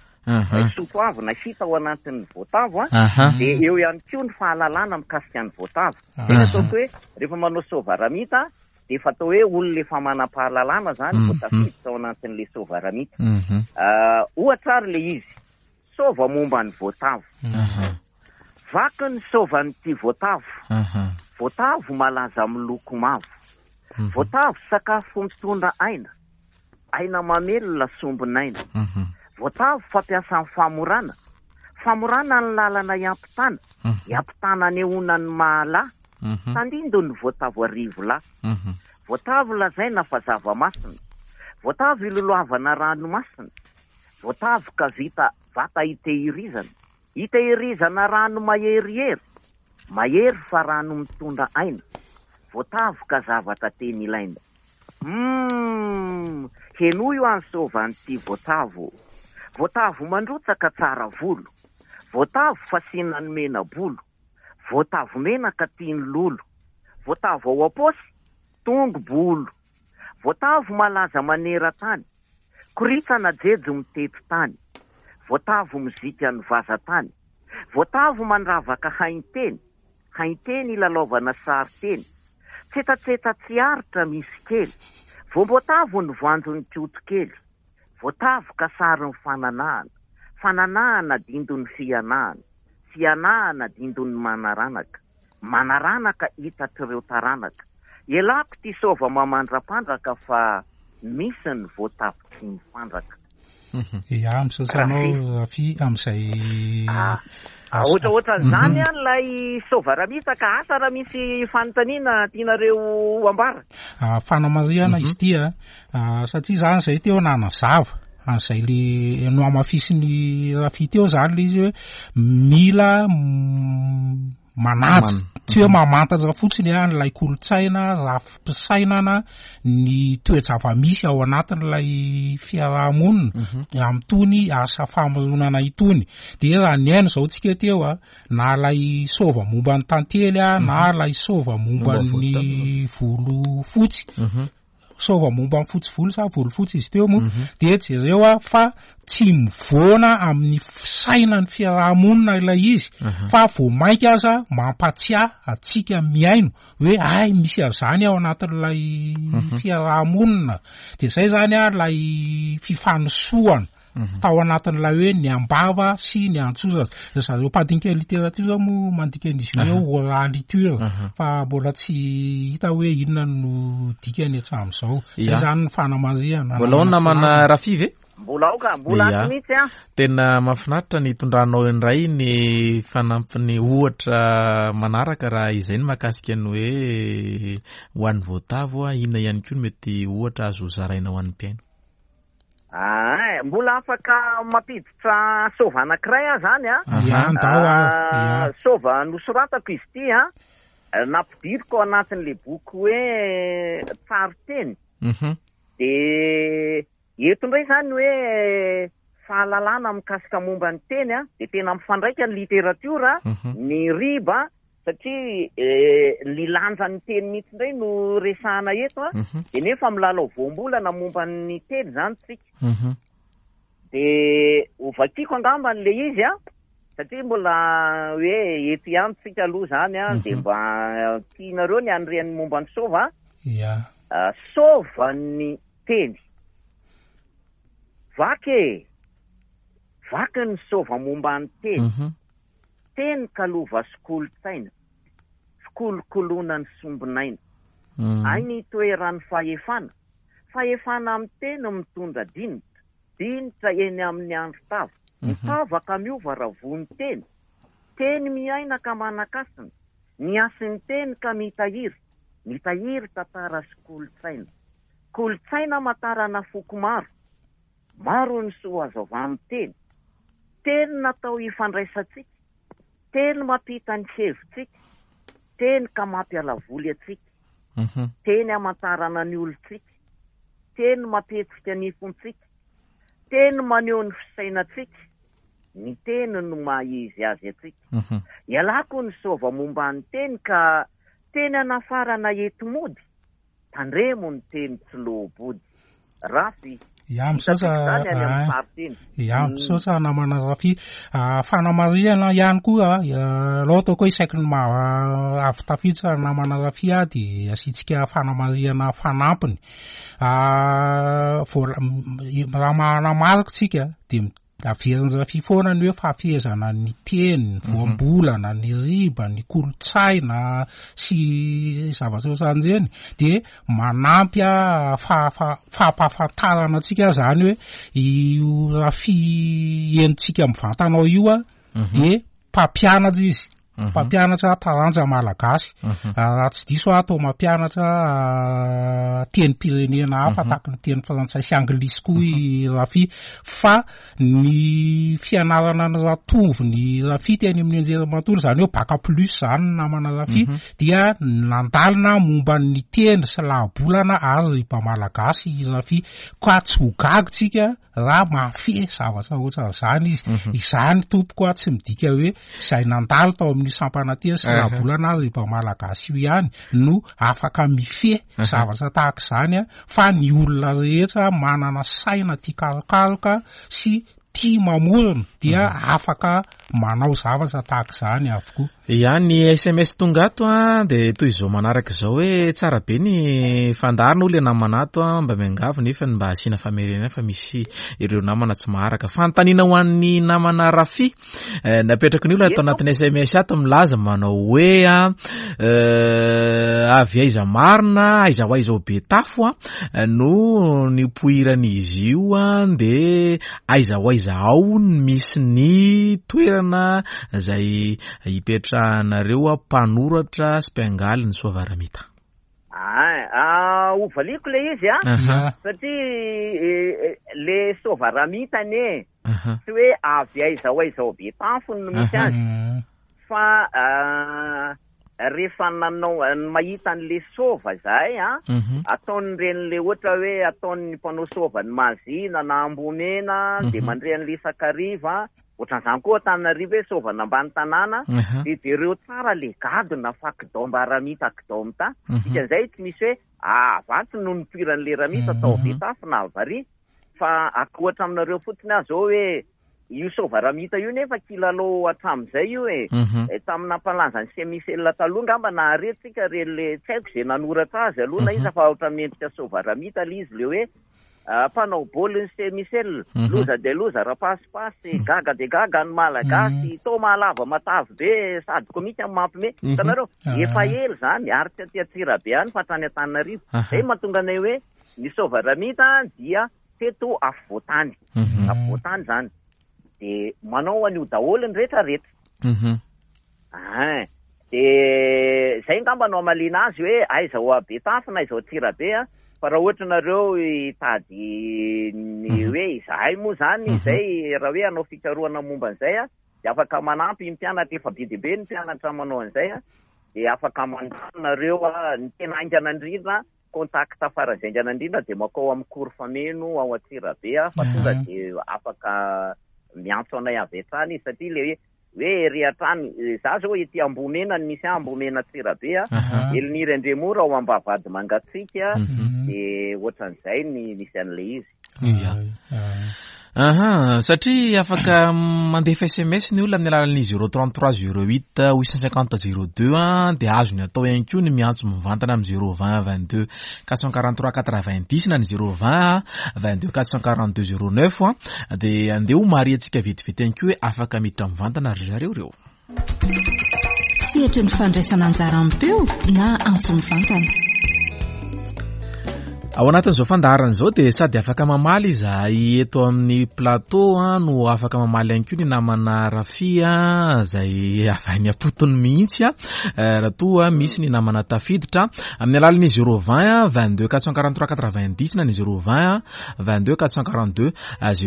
Soatoavina hita ao anatin'ny voatavo a, dia eo ihany koa ny fahalalana mikasika ny voatavo. Zay no ataoko hoe rehefa manao soavaramita dia efa atao hoe olona efa manam-pahalalana zany vao tafiditra ao anatin'ilay soavaramita. Ohatra ary ilay izy, sôva momba ny voatavo. Vaky ny sôvan'ity voatavo. Voatavo malaza miloko mavo. Voatavo sakafo mitondra aina. Aina mamelona sombin'aina. Voatavo fampiasa amin'ny famorana. Famorana ny lalana hiampitana. Hiampitana anehoana ny maha lahy. Tandindon'ny voatavo arivolahy. Voatavo lazaina fa zava-masina. Voatavo iloloavana ranomasina. Voatavo ka vita vata itehirizana. Itehirizana rano maherihery. Mahery fa rano mitondra aina. Voatavo ka zavatra tena ilaina. Humm! Henoy io any sôvan'ity voatavo. Voatavo mandrotsaka tsara volo. Voatavo fasiana ny mena-bolo. Voatavo menaka tian'ny lolo. Voatavo ao am-paosy, tongo-bolo. Voatavo malaza maneran-tany. Koritsana jejo mitety tany. Voatavo mozikan'ny vazan-tany. Voatavo mandravaka hainteny. Hainteny ilalaovana sarin-teny. Tsetsatsetsa tsy aritra misy kely. Voam-boatavo ny voanjon'ny koto kely. Voatavo ka sarin'ny fananahana. Fananahana dindon'ny fihanahana. Fihanahana dindon'ny manaranaka. Manaranaka hitatr'ireo taranaka. Ialako ity sôva mamandrampandraka fa misy ny voatavo tsy mifandraka. Ya, misaotra anao Rafy amin'izay Ah, ohatrohatran'izany mhm. ilay soavaramita ka asa raha misy fanontaniana tianareo ambara. Ah, fanamarihana izy ity a, ah, satria zany zay teo nanazava an'izay le nohamafisin'ny Rafy teo zany le izy hoe mila manaja. Tsy hoe mamantatra fotsiny an'ilay kolontsaina, rafi-pisainana, ny toe-java-misy ao anatin'ilay fiaraha-monina amin'itony asa famoronana itony. Dia raha nihaino izao tsika teo a, na ilay sôva momba ny tantely a, na ilay sôva momba ny volo fotsy, sôva momba ny fotsy volo sa volo fotsy izy teo moa, dia jereo a fa tsy mivoana amin'ny fisainan'ny fiaraha-monina ilay izy, fa vao mainka aza mampatsiahy antsika mihaino hoe ay misy an'izany ao anatin'ilay fiaraha-monina. Dia izay izany a ilay fifanosohana tao anatin'ilay hoe ny ambava sy ny antsoratra. Ry zareo mpandinika literatiora moa mandika an'izy io hoe oraliture, fa mbola tsy hita hoe inona no dikany hatramin'izao. Izay izany ny fanamarihana. Mbola ao namana Rafy ve? Mbola ao ka, mbola ato mihitsy an. Tena mahafinaritra ny hitondranao indray ny fanampiny ohatra manaraka raha izay ny mahakasika ny hoe ho an'ny voatavo, inona ihany koa no mety ohatra azo zaraina ho an'ny mpihaino? Aa, mbola afaka mampiditra sôva anankiray aho zany a. Ya, ndao ary. Ya. Sôva nosoratako izy ity a, nampidiriko ao anatin'ilay boky hoe Tsaroteny. Dia eto indray zany hoe fahalalana mikasika momba ny teny a, dia tena mifandraika ny literatiora, ny riba, satria ny lanjan'ny teny mihitsy indray no resahana eto a, dia nefa milalao voambolana momba ny teny zany tsika. Dia hovakiko angamba an'ilay izy a, satria mbola hoe eto ihany tsika aloha zany a, dia mba tianareo ny hanirian'ny momba ny sôva. Sôvan'ny teny. Vaky e! Vaky ny sôva momba ny teny. Teny ka lova sy kolontsaina, fikolokoloana ny sombinaina. Aina itoeran'ny fahefana, fahefana amin'ny teny mitondra dinitra, dinitra eny amin'ny andron-tava. Ny tava ka miova raha voa ny teny. Teny miaina ka manan-kasina, ny hasin'ny teny ka mitahiry, mitahiry tantara sy kolontsaina. Kolontsaina amantarana foko maro. Maro ny soa azo avy amin'ny teny. Teny natao hifandraisantsika, teny mampita ny hevitsika, teny ka mampiala voly antsika, teny hamantarana ny olontsika, teny mampihetsika ny fontsika, teny maneho ny fisainantsika, ny teny no maha izy azy antsika. Ialako ny sôva momba ny teny ka teny anafarana enti-mody. Tandremo ny teny tsy loa-body. Rafy, Ya, misaotra, hitantsika izany any amin'ny ah, fariteny. ya, misaotra namana Rafy. Ah, fanamarihana ihany koa, ah, aleo ataoko hoe isaky ny ma-, avy tafiditra namana Rafy ah, dia asiantsika fanamarihana fanampiny. Ah, voala-, raha manamarika tsika dia Averin'i Rafia foana ny hoe fahafehezana ny teny, ny voambolana, ny riba, ny kolontsaina sy zavatra ohatran'ireny dia manampy fampahafantarana antsika zany hoe io Rafia henontsika mivantana ao io dia mpampianatra izy. Mpampianatra taranja malagasy. Raha tsy diso aho, toa mampianatra tenim-pirenena hafa tahaka ny teny frantsay sy anglisy koa i Rafia. Fa ny fianarana ny Ratovo, ny Rafia teny amin'ny anjerimanontolo, izany hoe bac plus izany ny namana Rafia, dia nandalina momba ny teny sy lahabolana ary riba malagasy i Rafia. Ka tsy ho gaga tsika raha mahafehy zavatra ohatran'izany izy. Izany tompoko a, tsy midika hoe izay nandalo tao amin'ny sampana teny sy lahabolana ary riba malagasy io ihany no afaka mifehy zavatra tahaka izany a, fa ny olona rehetra manana saina tia karokaroka sy tia mamorona dia afaka manao zavatra tahaka izany avokoa. Ya, ny SMS tonga ato a, dia toy izao manaraka izao hoe tsara be ny fandaharana hoy ilay namana ato a, mba miangavy nefa ny mba asiana famerenana fa misy ireo namana tsy maharaka. Fanontaniana ho an'ny namana Rafy, napetraky ny olona ato anatin'ny SMS ato milaza manao hoe a, avy aiza marina, aiza ho aiza ao Betafo a, no nipoiran'izy io a, dia aiza ho aiza ao no misy ny toerana izay hipetrahanareo mpanoratra sy mpiangaly ny Soavaramita. Ah, hovaliako ilay izy a, satria le Soavaramita anie tsy hoe avy aiza ho aiza ao Betafo no misy azy, fa rehefa nanao mahita an'le sôva izahay an, ataon'ireny le ohatra hoe ataon'ny mpanao sôva ny Mahazina na Ambohimena dia mandre an'le isan-kariva, ohatran'izany koa Antananarivo hoe sôvan'ambany tanàna, dia jereo tsara le gadona fa kidaomba ramita kidaomta, dikan'izay tsy misy hoe avatsy no nipoiran'le ramita tao Betafo na Avaria, fa ohatra aminareo fotsiny aho zao hoe Io Soavaramita io nefa kilalao hatramin'izay io e. Tamin'ny nampalaza an'i Semichel taloha angamba nahare tsika re le tsy haiko izay nanoratra azy aloha na iza fa ohatran'ny mendrika Soavaramita le izy le hoe mpanao baolin'i Semichel. Loza dia loza rapasipasy, gaga dia gaga ny Malagasy, toa mahalava matavy be sady komika no mampime. Hitanareo? Efa ela izany ary tsy aty Antsirabe any fa hatrany Antananarivo. Izay no mahatonga anay hoe ny Soavaramita dia teto afovoantany, afovoantany zany, de manao an'io daholo ny rehetra rehetra. Ein, de zay ngamba no hamaliana azy hoe aiza ao Betafo na aiza ao Antsirabe a, fa raha ohatra nareo hitady ny hoe izahay moa zany izay raha hoe hanao fikarohana momba an'izay a, de afaka manampy ny mpianatra, efa be dia be ny mpianatra manao an'izay a, de afaka manontany nareo a, ny tena haingana indrindra Contact faran'izay haingana indrindra dia makao amin'ny cours fameno ao Antsirabe aho fa tonga dia afaka miantso anay avy hatrany izy satria le hoe hoe ery hatrany za zao ety Ambohimena no misy ahy Ambohimena Antsirabe a, Eliniry Andriamora ao Ambavahady Mangatsiaka dia ohatran'izay ny misy an'ilay izy. Ia. Aha, satria afaka mandefa SMS ny olona amin'ny alalan'ny 033 08 850 02 an, dia azony atao ihany koa ny miantso mivantana amin'ny 020 22 443 90 na ny 020 22 442 09 an, dia andeha ho marihantsika vetivety ihany koa hoe afaka miditra mivantana ry zareo ireo. Sehatry ny fandraisana anjara am-peo na antso mivantana. Ao anatin'izao fandaharana izao dia sady afaka mamaly izahay eto amin'ny plateau no afaka mamaly ihany koa ny namana Rafia izay avy any am-potony mihitsy raha toa misy ny namana tafiditra amin'ny alalan'ny 020 22 443 90 na ny 020 22 442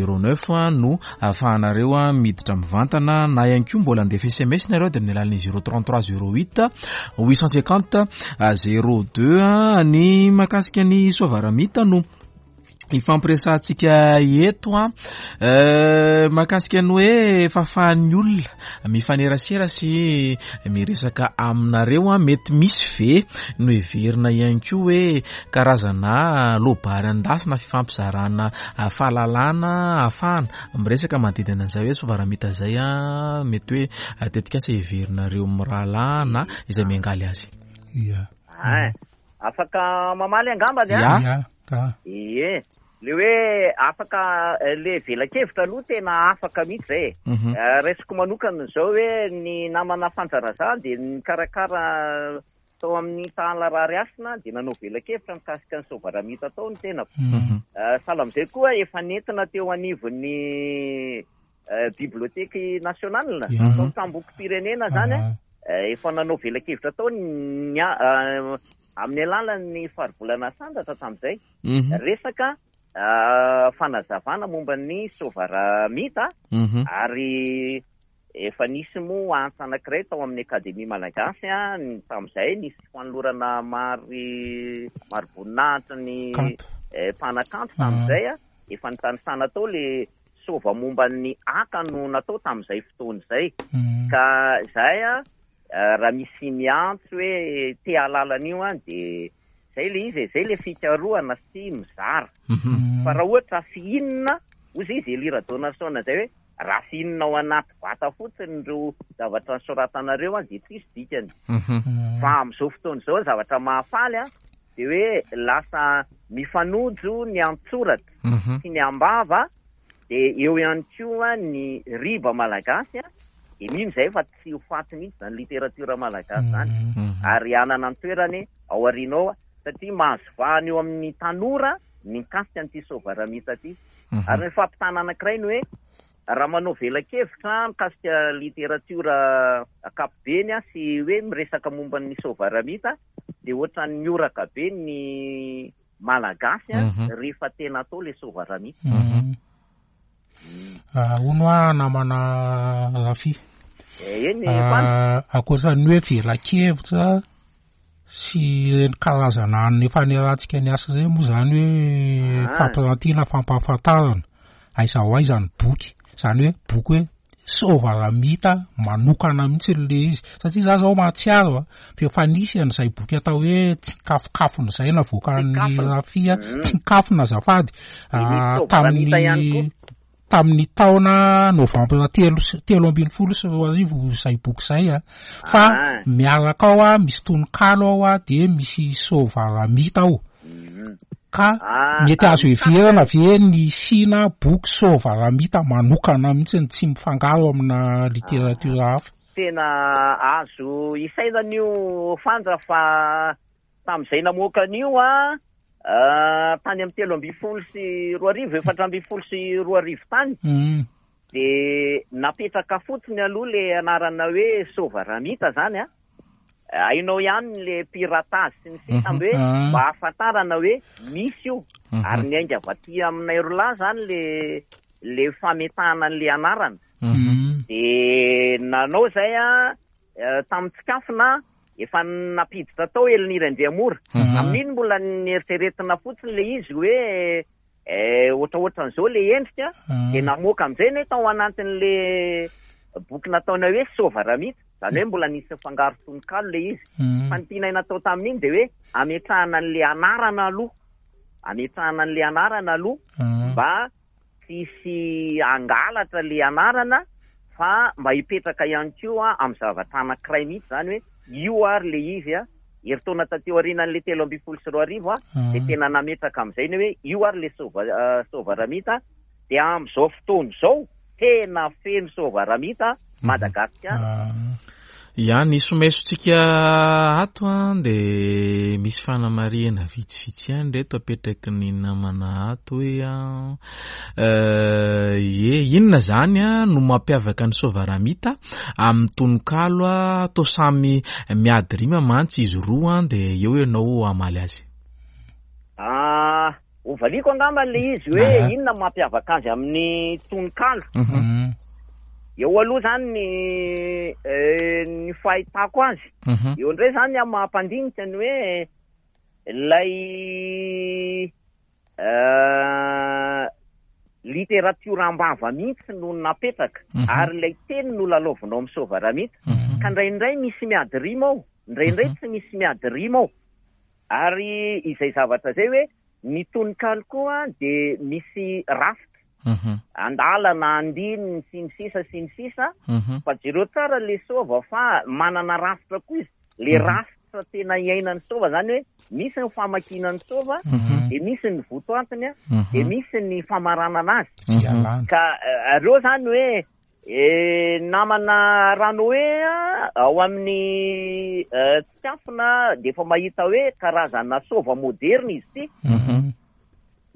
09 no ahafahanareo miditra mivantana na ihany koa mbola andefa sms nareo dia amin'ny alalan'ny 033 08 850 02 ny mahakasika ny soavaramita no ifampiresahantsika eto a eh, mahakasika ny hoe fahafahan'ny olona mifanerasera sy miresaka aminareo a mety misy ve no heverina ihany koa hoe karazana loabary an-dasy na fifampizarana fahalalana ahafahana miresaka manodidina an'izay hoe sovaramita izay mety hoe tetikasa heverinareo mirahalahy na izay miangaly azy. Ia. Ein, afaka mamaly angamba ny an? Ia, ka. Ie. Le hoe afaka le velakevitra aloha tena afaka mihitsy zay e. Raisiko manokana izao hoe ny namana Fanja Razah dia nikarakara Tao amin'ny Tahala Rarihasina dia nanao velakevitra mikasika ny Soavaramita tao ny tenako. Sahala amin'izay koa efa nentina teo anivon'ny Bibliothèque Nationale, tao Tsambokim-pirenena izany, efa nanao velakevitra tao ny amin'ny alalan'ny faribolana Sandratra tamin'izay. Resaka fanazavana momba ny Soavaramita ary Efa nisy moa antsa anankiray tao amin'ny Akademia Malagasy tamin'izay, nisy fanolorana mari mariboninahitry ny mpanakanto tamin'izay, efa nitanisana tao le sova momba ny aka no natao tamin'izay fotoana izay. Ka izay raha misy miantso hoe te hahalala an'io dia izay le izy e, izay le fikarohana sy mizara. Fa raha ohatra fihinina, hoy izy Elie Rajaonarison izay hoe Raha fihinina ao anaty vata fotsiny ireo zavatra nosoratanareo dia tsisy dikany. Fa amin'izao fotoana izao ny zavatra mahafaly dia hoe lasa mifanojo ny an-tsoratra sy ny am-bava dia eo ihany koa ny riba malagasy dia mino izahay fa tsy ho faty mihitsy izany literatiora malagasy izany ary hanana ny toerany ao aoriana ao satria mahazo vahana eo amin'ny tanora ny mikasika an'ity Soavaramita ity. Ary ny fampitana anankiray ny hoe raha manao velakevitra mikasika literatiora ankapobeny sy hoe miresaka momba ny Soavaramita dia ohatran'ny mioraka be ny Malagasy rehefa tena atao ilay Soavaramita. Hono hoa namana Rafia. Eny Fanja. Ankoatra ny hoe velakevitra sy ireny karazana hanina efa niarahantsika niasa ireny moa izany hoe fampirantiana, fampahafantarana aiza ho aiza ny boky. Izany hoe boky hoe Soavaramita manokana mihitsy ilay izy. Satria za zao mahatsiaro a, fa efa nisy an'izay boky atao hoe Tsinkafokafona izay navoakan'ny Rafia, Tsinkafona azafady, tamin'ny tamin'ny taona novambra telo sy 2013 izay boky izay a. Fa miaraka ao a, misy tononkalo ao a, dia misy Soavaramita ao. Ka mety azo heverina ve ny hisiana boky Soavaramita manokana mihitsy tsy mifangaro amina literatiora hafa? Tena azo isainana io Fanja fa tamin'izay namoaka an'io a, tany amin'ny 2013, 2014 tany, dia napetraka fotsiny aloha ilay anarana hoe Soavaramita zany a. Hainao ihany le piratage sy ny sisa amby hoe mba ahafantarana hoe misy io. Ary niainga avy aty aminay roa lahy zany le le fametahana an'le anarana. De nanao zay a, tamin'ny tsikafona efa nampiditra tao Eliniry Andriamora. Amin'iny mbola nieritreretina fotsiny le izy hoe ohatraohatran'izao le endrika, de namoaka amin'izay ny tao anatin'le boky nataonay hoe Soavaramita, zany hoe mbola nisy fangaro tononkalo le izy. Fa ny tianay natao tamin'iny de hoe ametrahana an'le anarana aloha, ametrahana an'le anarana aloha mba tsy hisy hangalatra le anarana, fa mba hipetraka ihany koa amin'ny zavatra anankiray mihitsy zany hoe io ary le izy a. Herintaona taty aorianan'le 2013 a, de tena nametraka amin'izay ny hoe io ary le Soavaramita, de amin'izao fotoana izao tena feno Soavaramita Madagasikara. Ya, ny somesontsika ato an, de misy fanamarihana vitsivitsy ihany reto apetraky ny namana ato hoe an, ye, inona zany an no mampiavaka ny Soavaramita amin'ny tononkalo an, toa samy miady rima mantsy izy roa an, de eo ianao hamaly azy. Ah, hovaliako angamba le izy hoe inona no mampiavaka azy amin'ny tononkalo. Eo aloha zany ny fahitako azy. Eo indray zany amin'ny maha mpandinika ny hoe ilay literatiora am-bava mihitsy no napetraka ary ilay teny no lalaovinao amin'ny Soavaramita. Ka indraindray misy miady rima ao, indraindray tsy misy miady rima ao. Ary izay zavatra izay hoe ny tononkalo koa dia misy rafitra, andalana, andininy, sy ny sisa sy ny sisa. Fa jereo tsara le sova fa manana rafitra koa izy. Le rafitra tena iainan'ny sova zany hoe misy ny famakiana ny sova, dia misy ny votoantiny, dia misy ny famaranana azy. Ka reo zany hoe namana Ranoe ao amin'ny tsikafona dia efa mahita hoe karazana sova moderna izy ity.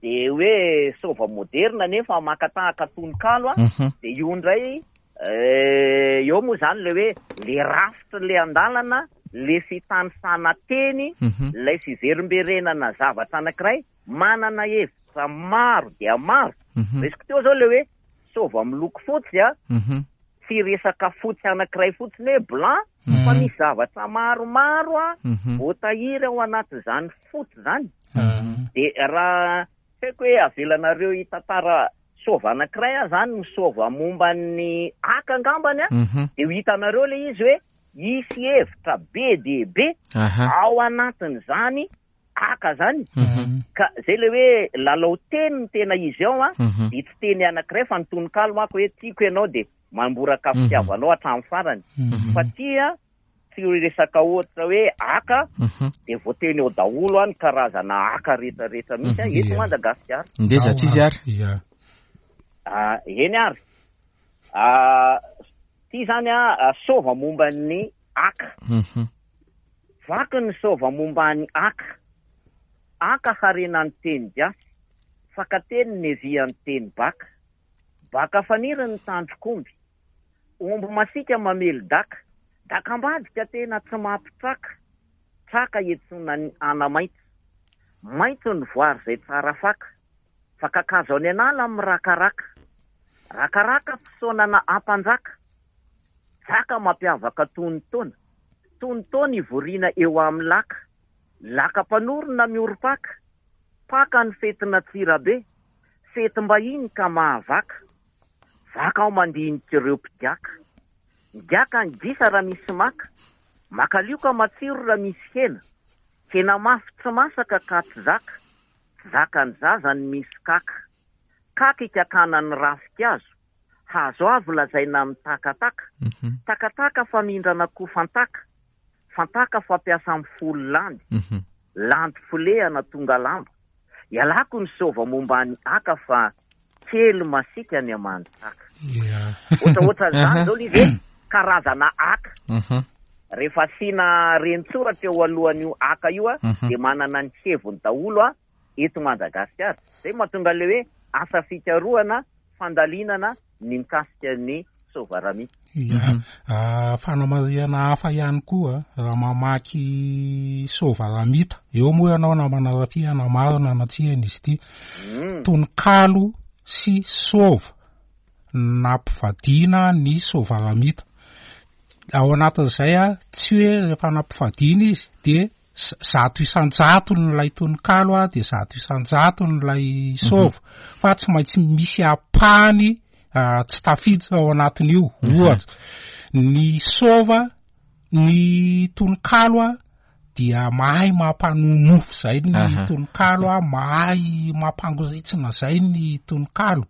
Dia hoe sova moderna nefa maka tahaka tononkalo a, dia io indray eo moa zany le hoe le rafitra le andalana, le fitanisana teny, ilay fiverimberenana zavatra anankiray manana hevitra maro dia maro. Resiko teo zao le hoe sova miloko fotsy a, tsy resaka fotsy anankiray fotsiny hoe blanc, fa misy zavatra maromaro a voatahiry ao anatin'izany fotsy zany. Dia raha tsy haiko hoe avelanareo hitantara sova anankiray aho zany, ny sova momba ny aka angambany a, dia ho hitanareo le izy hoe hisy hevitra be dia be ao anatin'izany aka zany. Ka zay le hoe lalao teny no tena izy ao a, dia tsy teny anankiray fa ny tononkalo manko hoe tiako ianao dia mamboraka fitiavanao hatramin'ny farany. Fa tia tsy resaka ohatra hoe aka dia voateny eo daholo ny karazana aka rehetrarehetra mihitsy a, eto Madagasikara. Ndeza tsy izy ary. Eny ary. Ty zany a, sova momba ny aka. Vaky ny sova momba ny aka. Aka harena ny teny gasy, fakateny nevian'ny teny baka. Baka faniry ny tandrok'omby. Omby masiaka mamely daka. Daka ambadika tena tsy mampitraka. Traka iantsoana ny ana-maitso. Maitso ny voary izay tsara faka. Fa kakazo any an'ala mirakaraka. Rakaraka fisaonana ampanjaka. Jaka mampiavaka tonon-taona. Tonon-taona ivoriana eo amin'ny laka. Laka mpanorina miorim-paka. Paka ny fetin'Antsirabe. Fetim-bahiny ka mahavaka. Vaka aho mandinika ireo mpigaka. Migaka ny gisa raha misy maka. Makalioka matsiro raha misy hena. Hena mafy tsy masaka ka tsy zaka. Tsy zakan'ny zaza ny misy kaka. Kaka ikakana ny ravinkazo. Hazo avo lazaina amin'ny takataka. Takataka famindrana koa fantaka. Fantaka fampiasa amin'ny folo landy. Landy folehana tonga lamba. Ialako ny sôva momba ny aka fa kely masiaka ny aman-tsaka. Ohatraohatran'izany izao ilay izy hoe karazana aka. Rehefa asiana reni-tsoratra eo alohan'io aka io dia manana ny heviny daholo eto Madagasikara. Izay no mahatonga ilay hoe asa fikarohana, fandalinana ny mikasika ny Sovaramita. Ya, fanamarihana hafa ihany koa, raha mamaky Sovaramita, eo moa ianao namana Rafia hanamarina na tsia izy ity, tononkalo sy sova nampivadiana ny Sovaramita. Ao anatin'izay, tsy hoe rehefa nampivadiana izy dia 100% ilay tononkalo a, dia 100% ilay sôva, fa tsy maintsy misy ampahany tsy tafiditra ao anatin'io. Ohatra, ny sôva, ny tononkalo a, dia mahay mampanonofy zay ny tononkalo a, mahay mampangoritsina zay ny tononkalo.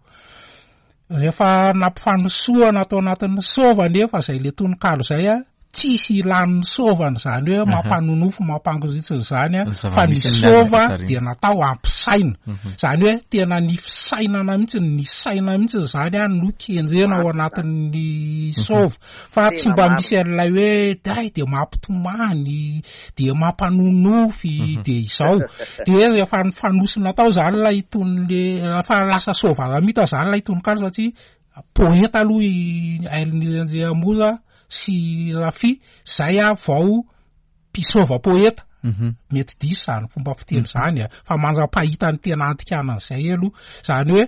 Rehefa nampifanosohana tao anatin'ny sôva anefa izay le tononkalo izay a, tsisy ilan'ny sôvana izany hoe mampanonofy mampangoritsina izany a, fa ny sôva dia natao hampisaina. Izany hoe tena ny fisainana mihitsy, ny saina mihitsy izany a no kendrena ao anatin'ny sôva, fa tsy mba misy an'ilay hoe day dia mampitomany, dia mampanonofy, dia izao. Dia rehefa nifanosona tao izany ilay tonon'le, rehefa lasa Soavaramita izany ilay tononkalo satria poeta aloha i Hailiniry Andriamora sy Rafy, izay aho vao mpisôva poeta. Mety diso izany fomba fiteny izany a, fa mandra-pahita ny tena andikana an'izay aloha. Izany hoe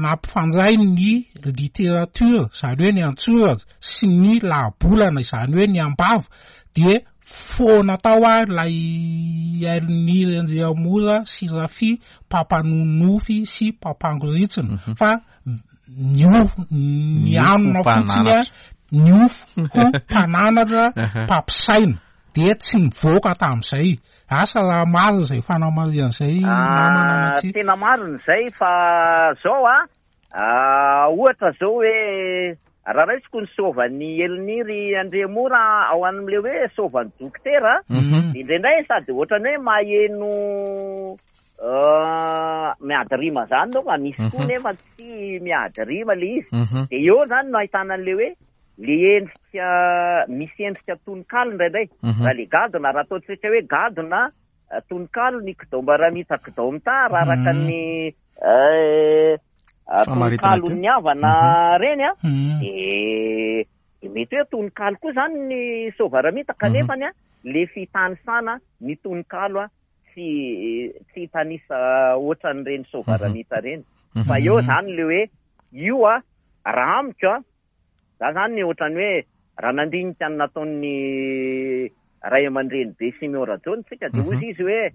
nampifandray ny literatiora, izany hoe ny an-tsoratra, sy ny lahabolana izany hoe ny ambava dia foana tao ary ilay Hailiniry Andriamora sy Rafy mpampanonofy sy mpampangoritsina fa niofo nianona fotsiny a niofo ho mpananatra mpampisaina dia tsy nivoaka tamin'izay. Asa raha marina izay fanamarihana izay namana na tsia. Tena marina izay fa zao a, Ohatra zao hoe raha raisiko ny sôvan'i Eliniry Andriamora ao amin'ilay hoe sôvan'i dokotera, indraindray sady ohatran'ny hoe maheno miady rima zany ianao fa misy koa nefa tsy miady rima ilay izy. Dia eo zany no ahitana an'ilay hoe le endrika misy endrika tononkalo indraindray. Raha le gadona, raha ataontsika hoe gadona tononkalo ny kidaombaramita kidaomita raha araka ny tononkalon'ny havana reny a, de mety hoe tononkalo koa zany ny soavaramita kanefa ny a le fitanisana ny tononkalo a tsy tsy hitanisa ohatran'ireny soavaramita reny fa eo zany le hoe io a raha amiko a Za zany ohatrany hoe raha nandinika ny nataon'ny ray aman-dreny be Siméon Rajaona tsika dia hozy izy hoe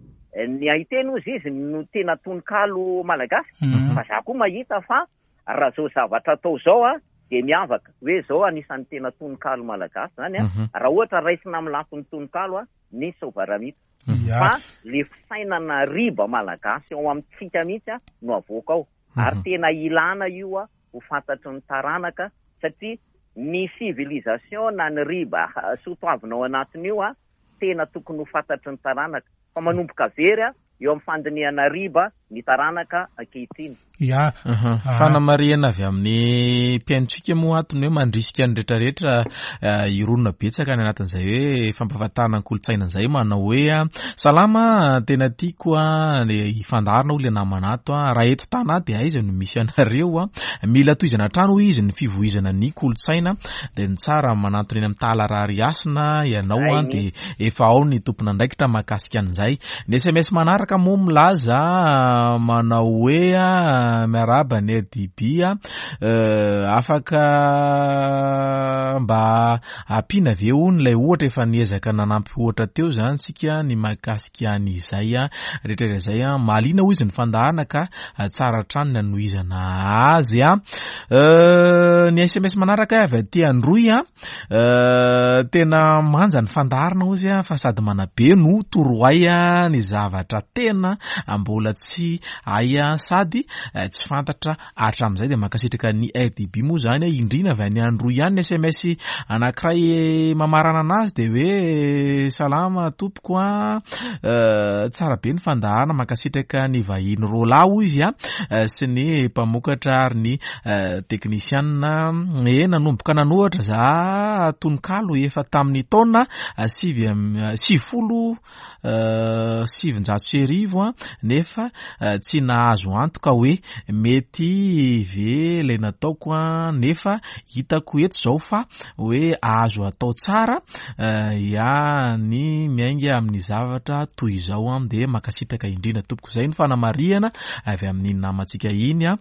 ny haiteny hozy izy no tena tononkalo malagasy fa za koa mahita fa raha zao zavatra atao zao a dia miavaka hoe zao anisan'ny tena tononkalo malagasy zany a raha ohatra raisina amin'ny lafiny tononkalo a ny Soavaramita fa le fisainana riba malagasy ao amintsika mihitsy a no avoaka ao ary tena ilana io a ho fantatry ny taranaka satria ny civilisation na ny riba soatoavina ao anatin'io a tena tokony ho fantatry ny taranaka fa manomboka very a eo amin'ny fandinihana riba ny taranaka ankehitriny. Ya. Fanamarihana avy amin'ny mpihainontsika moa ato ny hoe mandrisika ny rehetrarehetra hirona betsaka any anatin'izay hoe fampahafantarana ny kolontsaina izay manao hoe salama tena tiako le hifandaharana hoy le namana ato raha eto Tana dia aiza no misy anareo mila tohizana hatrany hoy izy ny fivoizana ny kolontsaina dia ny tsara manantona eny amin'ny Tahala Rarihasina ianao dia efa ao ny tompon'andraikitra mahakasika an'izay. Ny sms manaraka moa milaza manao hoe miarahaba ny RDB afaka mba ampiana ve hono ilay ohatra efa niezaka nanampy ohatra teo izany tsika ny mahakasika an'izay rehetra rehetra izay. Mahaliana hoy izy ny fandaharana ka tsara hatrany ny hanohizana azy. Ny SMS manaraka avy aty Androy. Tena manja ny fandaharana hozy fa sady manabe no torohay ny zavatra tena mbola tsy hay sady tsy fantatra hatramin'izay. Dia mankasitraka ny RDB moa izany indrindra avy any Androy ihany ny SMS anankiray mamarana anazy dia hoe salama tompoko a, tsara be ny fandaharana, mankasitraka ny vahiny roalahy hoy izy sy ny mpamokatra ary ny Teknisianina, eh nanomboka nanoratra za tononkalo efa tamin'ny taona sivy 1990 nefa tsy nahazo antoka hoe mety ve ilay nataoko nefa hitako eto izao fa hoe azo atao tsara ny miainga amin'ny zavatra toy izao dia mankasitraka indrindra tompoko. Izay no fanamarihana avy amin'ny namantsika iny.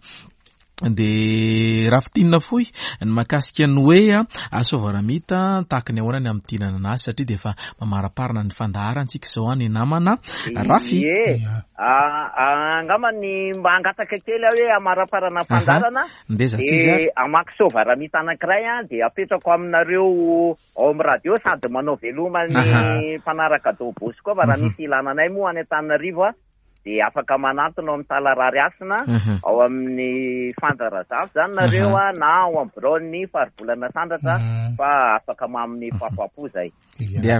Dia raha fintinina fohy ny mahakasika ny hoe Soavaramita tahaka ny ahoana ny hamintinana anazy satria dia efa mamaraparana ny fandaharantsika izao ny namana Rafy. Ie, angamba ny mba hangataka kely aho hoe hamaraparana fandaharana dia hamaky Soavaramita anankiray aho dia apetrako aminareo ao amin'ny radio sady manao veloma ny mpanaraka Don Bosco fa raha misy ilana anay moa any Antananarivo dia afaka manantona ao amin'ny Tala Rarihasina ao amin'ny Fanja Razafy zany nareo a na ao amin'ny biraon'ny Faribolana Sandratra fa afaka mamin'ny fafapo zay.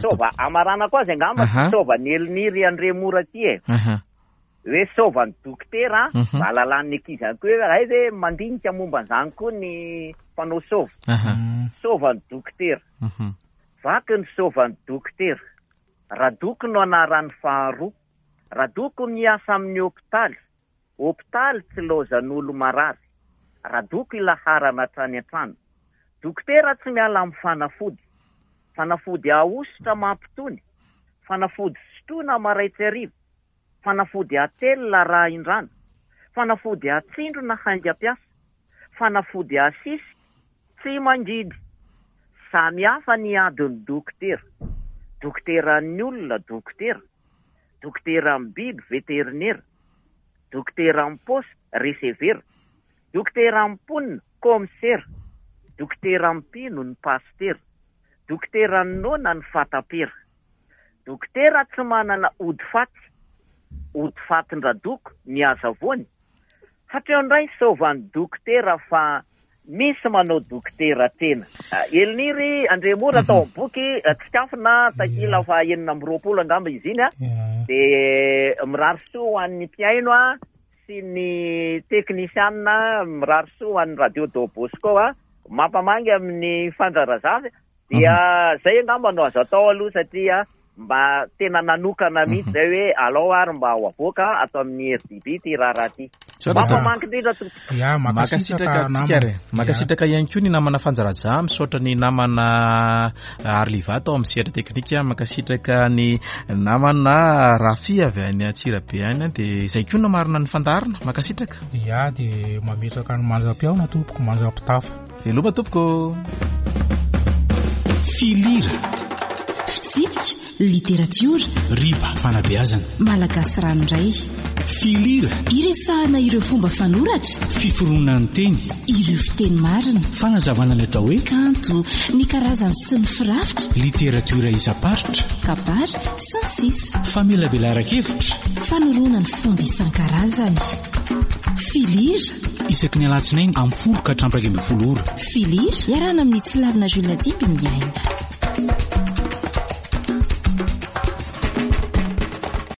Sova amaranako azy angamba sova ny Eliniry Andriamora ty e. Hoe sova ny dokotera mba halalan'ny ankizy ihany koa hoe hay ve mandinika momba an'izany koa ny mpanao sova. Sova ny dokotera. Vaky ny sovan'ny dokotera. Radoko no anaran'ny faharoa. Radoko miasa amin'ny hopitaly. Hopitaly tsy laozan'olo marary. Radoko ilaharana hatrany an-trano. Dokotera tsy miala amin'ny fanafody. Fanafody ahosotra mampitony. Fanafody sotroina maraitsy hariva. Fanafody atelina arahin-drano. Fanafody atsindrona haingam-piasa. Fanafody asisika tsy mangidy. Samy hafa ny adin'ny dokotera. Dokoteran'ny olona dokotera. Dokoteran'ny biby veterinera. Dokoteran'ny paosy resevera. Dokoteran'ny mponina kaomisera. Dokoteran'ny mpino ny pasitera. Dokoteran'ny noana ny fatapera. Dokotera tsy manana ody faty. Ody fatin-dRadoko ny azavoany. Hatreo indray saovan'ny dokotera fa misy manao dokotera tena. Eliniry Andriamora tao amin'ny boky Tsikafona takila faha 26 angamba izy iny dia mirary soa ho an'ny mpihaino sy ny teknisianina, mirary soa ho an'ny radio Don Bosco, mampamangy amin'ny Fanja Razafy. Dia zay angamba no azo atao aloha satria mba tena nanokana mihitsy zay hoe alao ary mba ho avoaka ato amin'ny RDB ity raharaha ity. Mampamangy indrindra tompoko. Ya, mankasitraka antsika ary. Mankasitraka ihany koa ny namana Fanja Raja, misaotra ny namana Arliva tao amin'ny sehatra teknika, mankasitraka ny namana Rafy avy any Antsirabe any, dia izay koa namarina ny fandaharana. Mankasitraka. Ya, dia mametraka ny mandra-pihaona tompoko, mandra-pitafa. Veloma tompoko. Filira. Fitsipika, literatiora. Riba, fanabeazana. Malagasy ranoray. Filira. Iresahana ireo fomba fanoratra. Fiforonan'ny teny. Ireo fiteny marina. Fanazavana ny atao hoe. Kanto, ny karazany sy ny firafitra. Literatiora isam-paritra. Kabary, sy ny sisa. Famelabelaran-kevitra. Fanoroana ny fomba isan-karazany. Filira. Isaky ny alatsinainy amin'ny 10 ka hatramin'ny 11 ora. Filira, iarahana amin'ny Tsilavina Jules Dimby ny aina.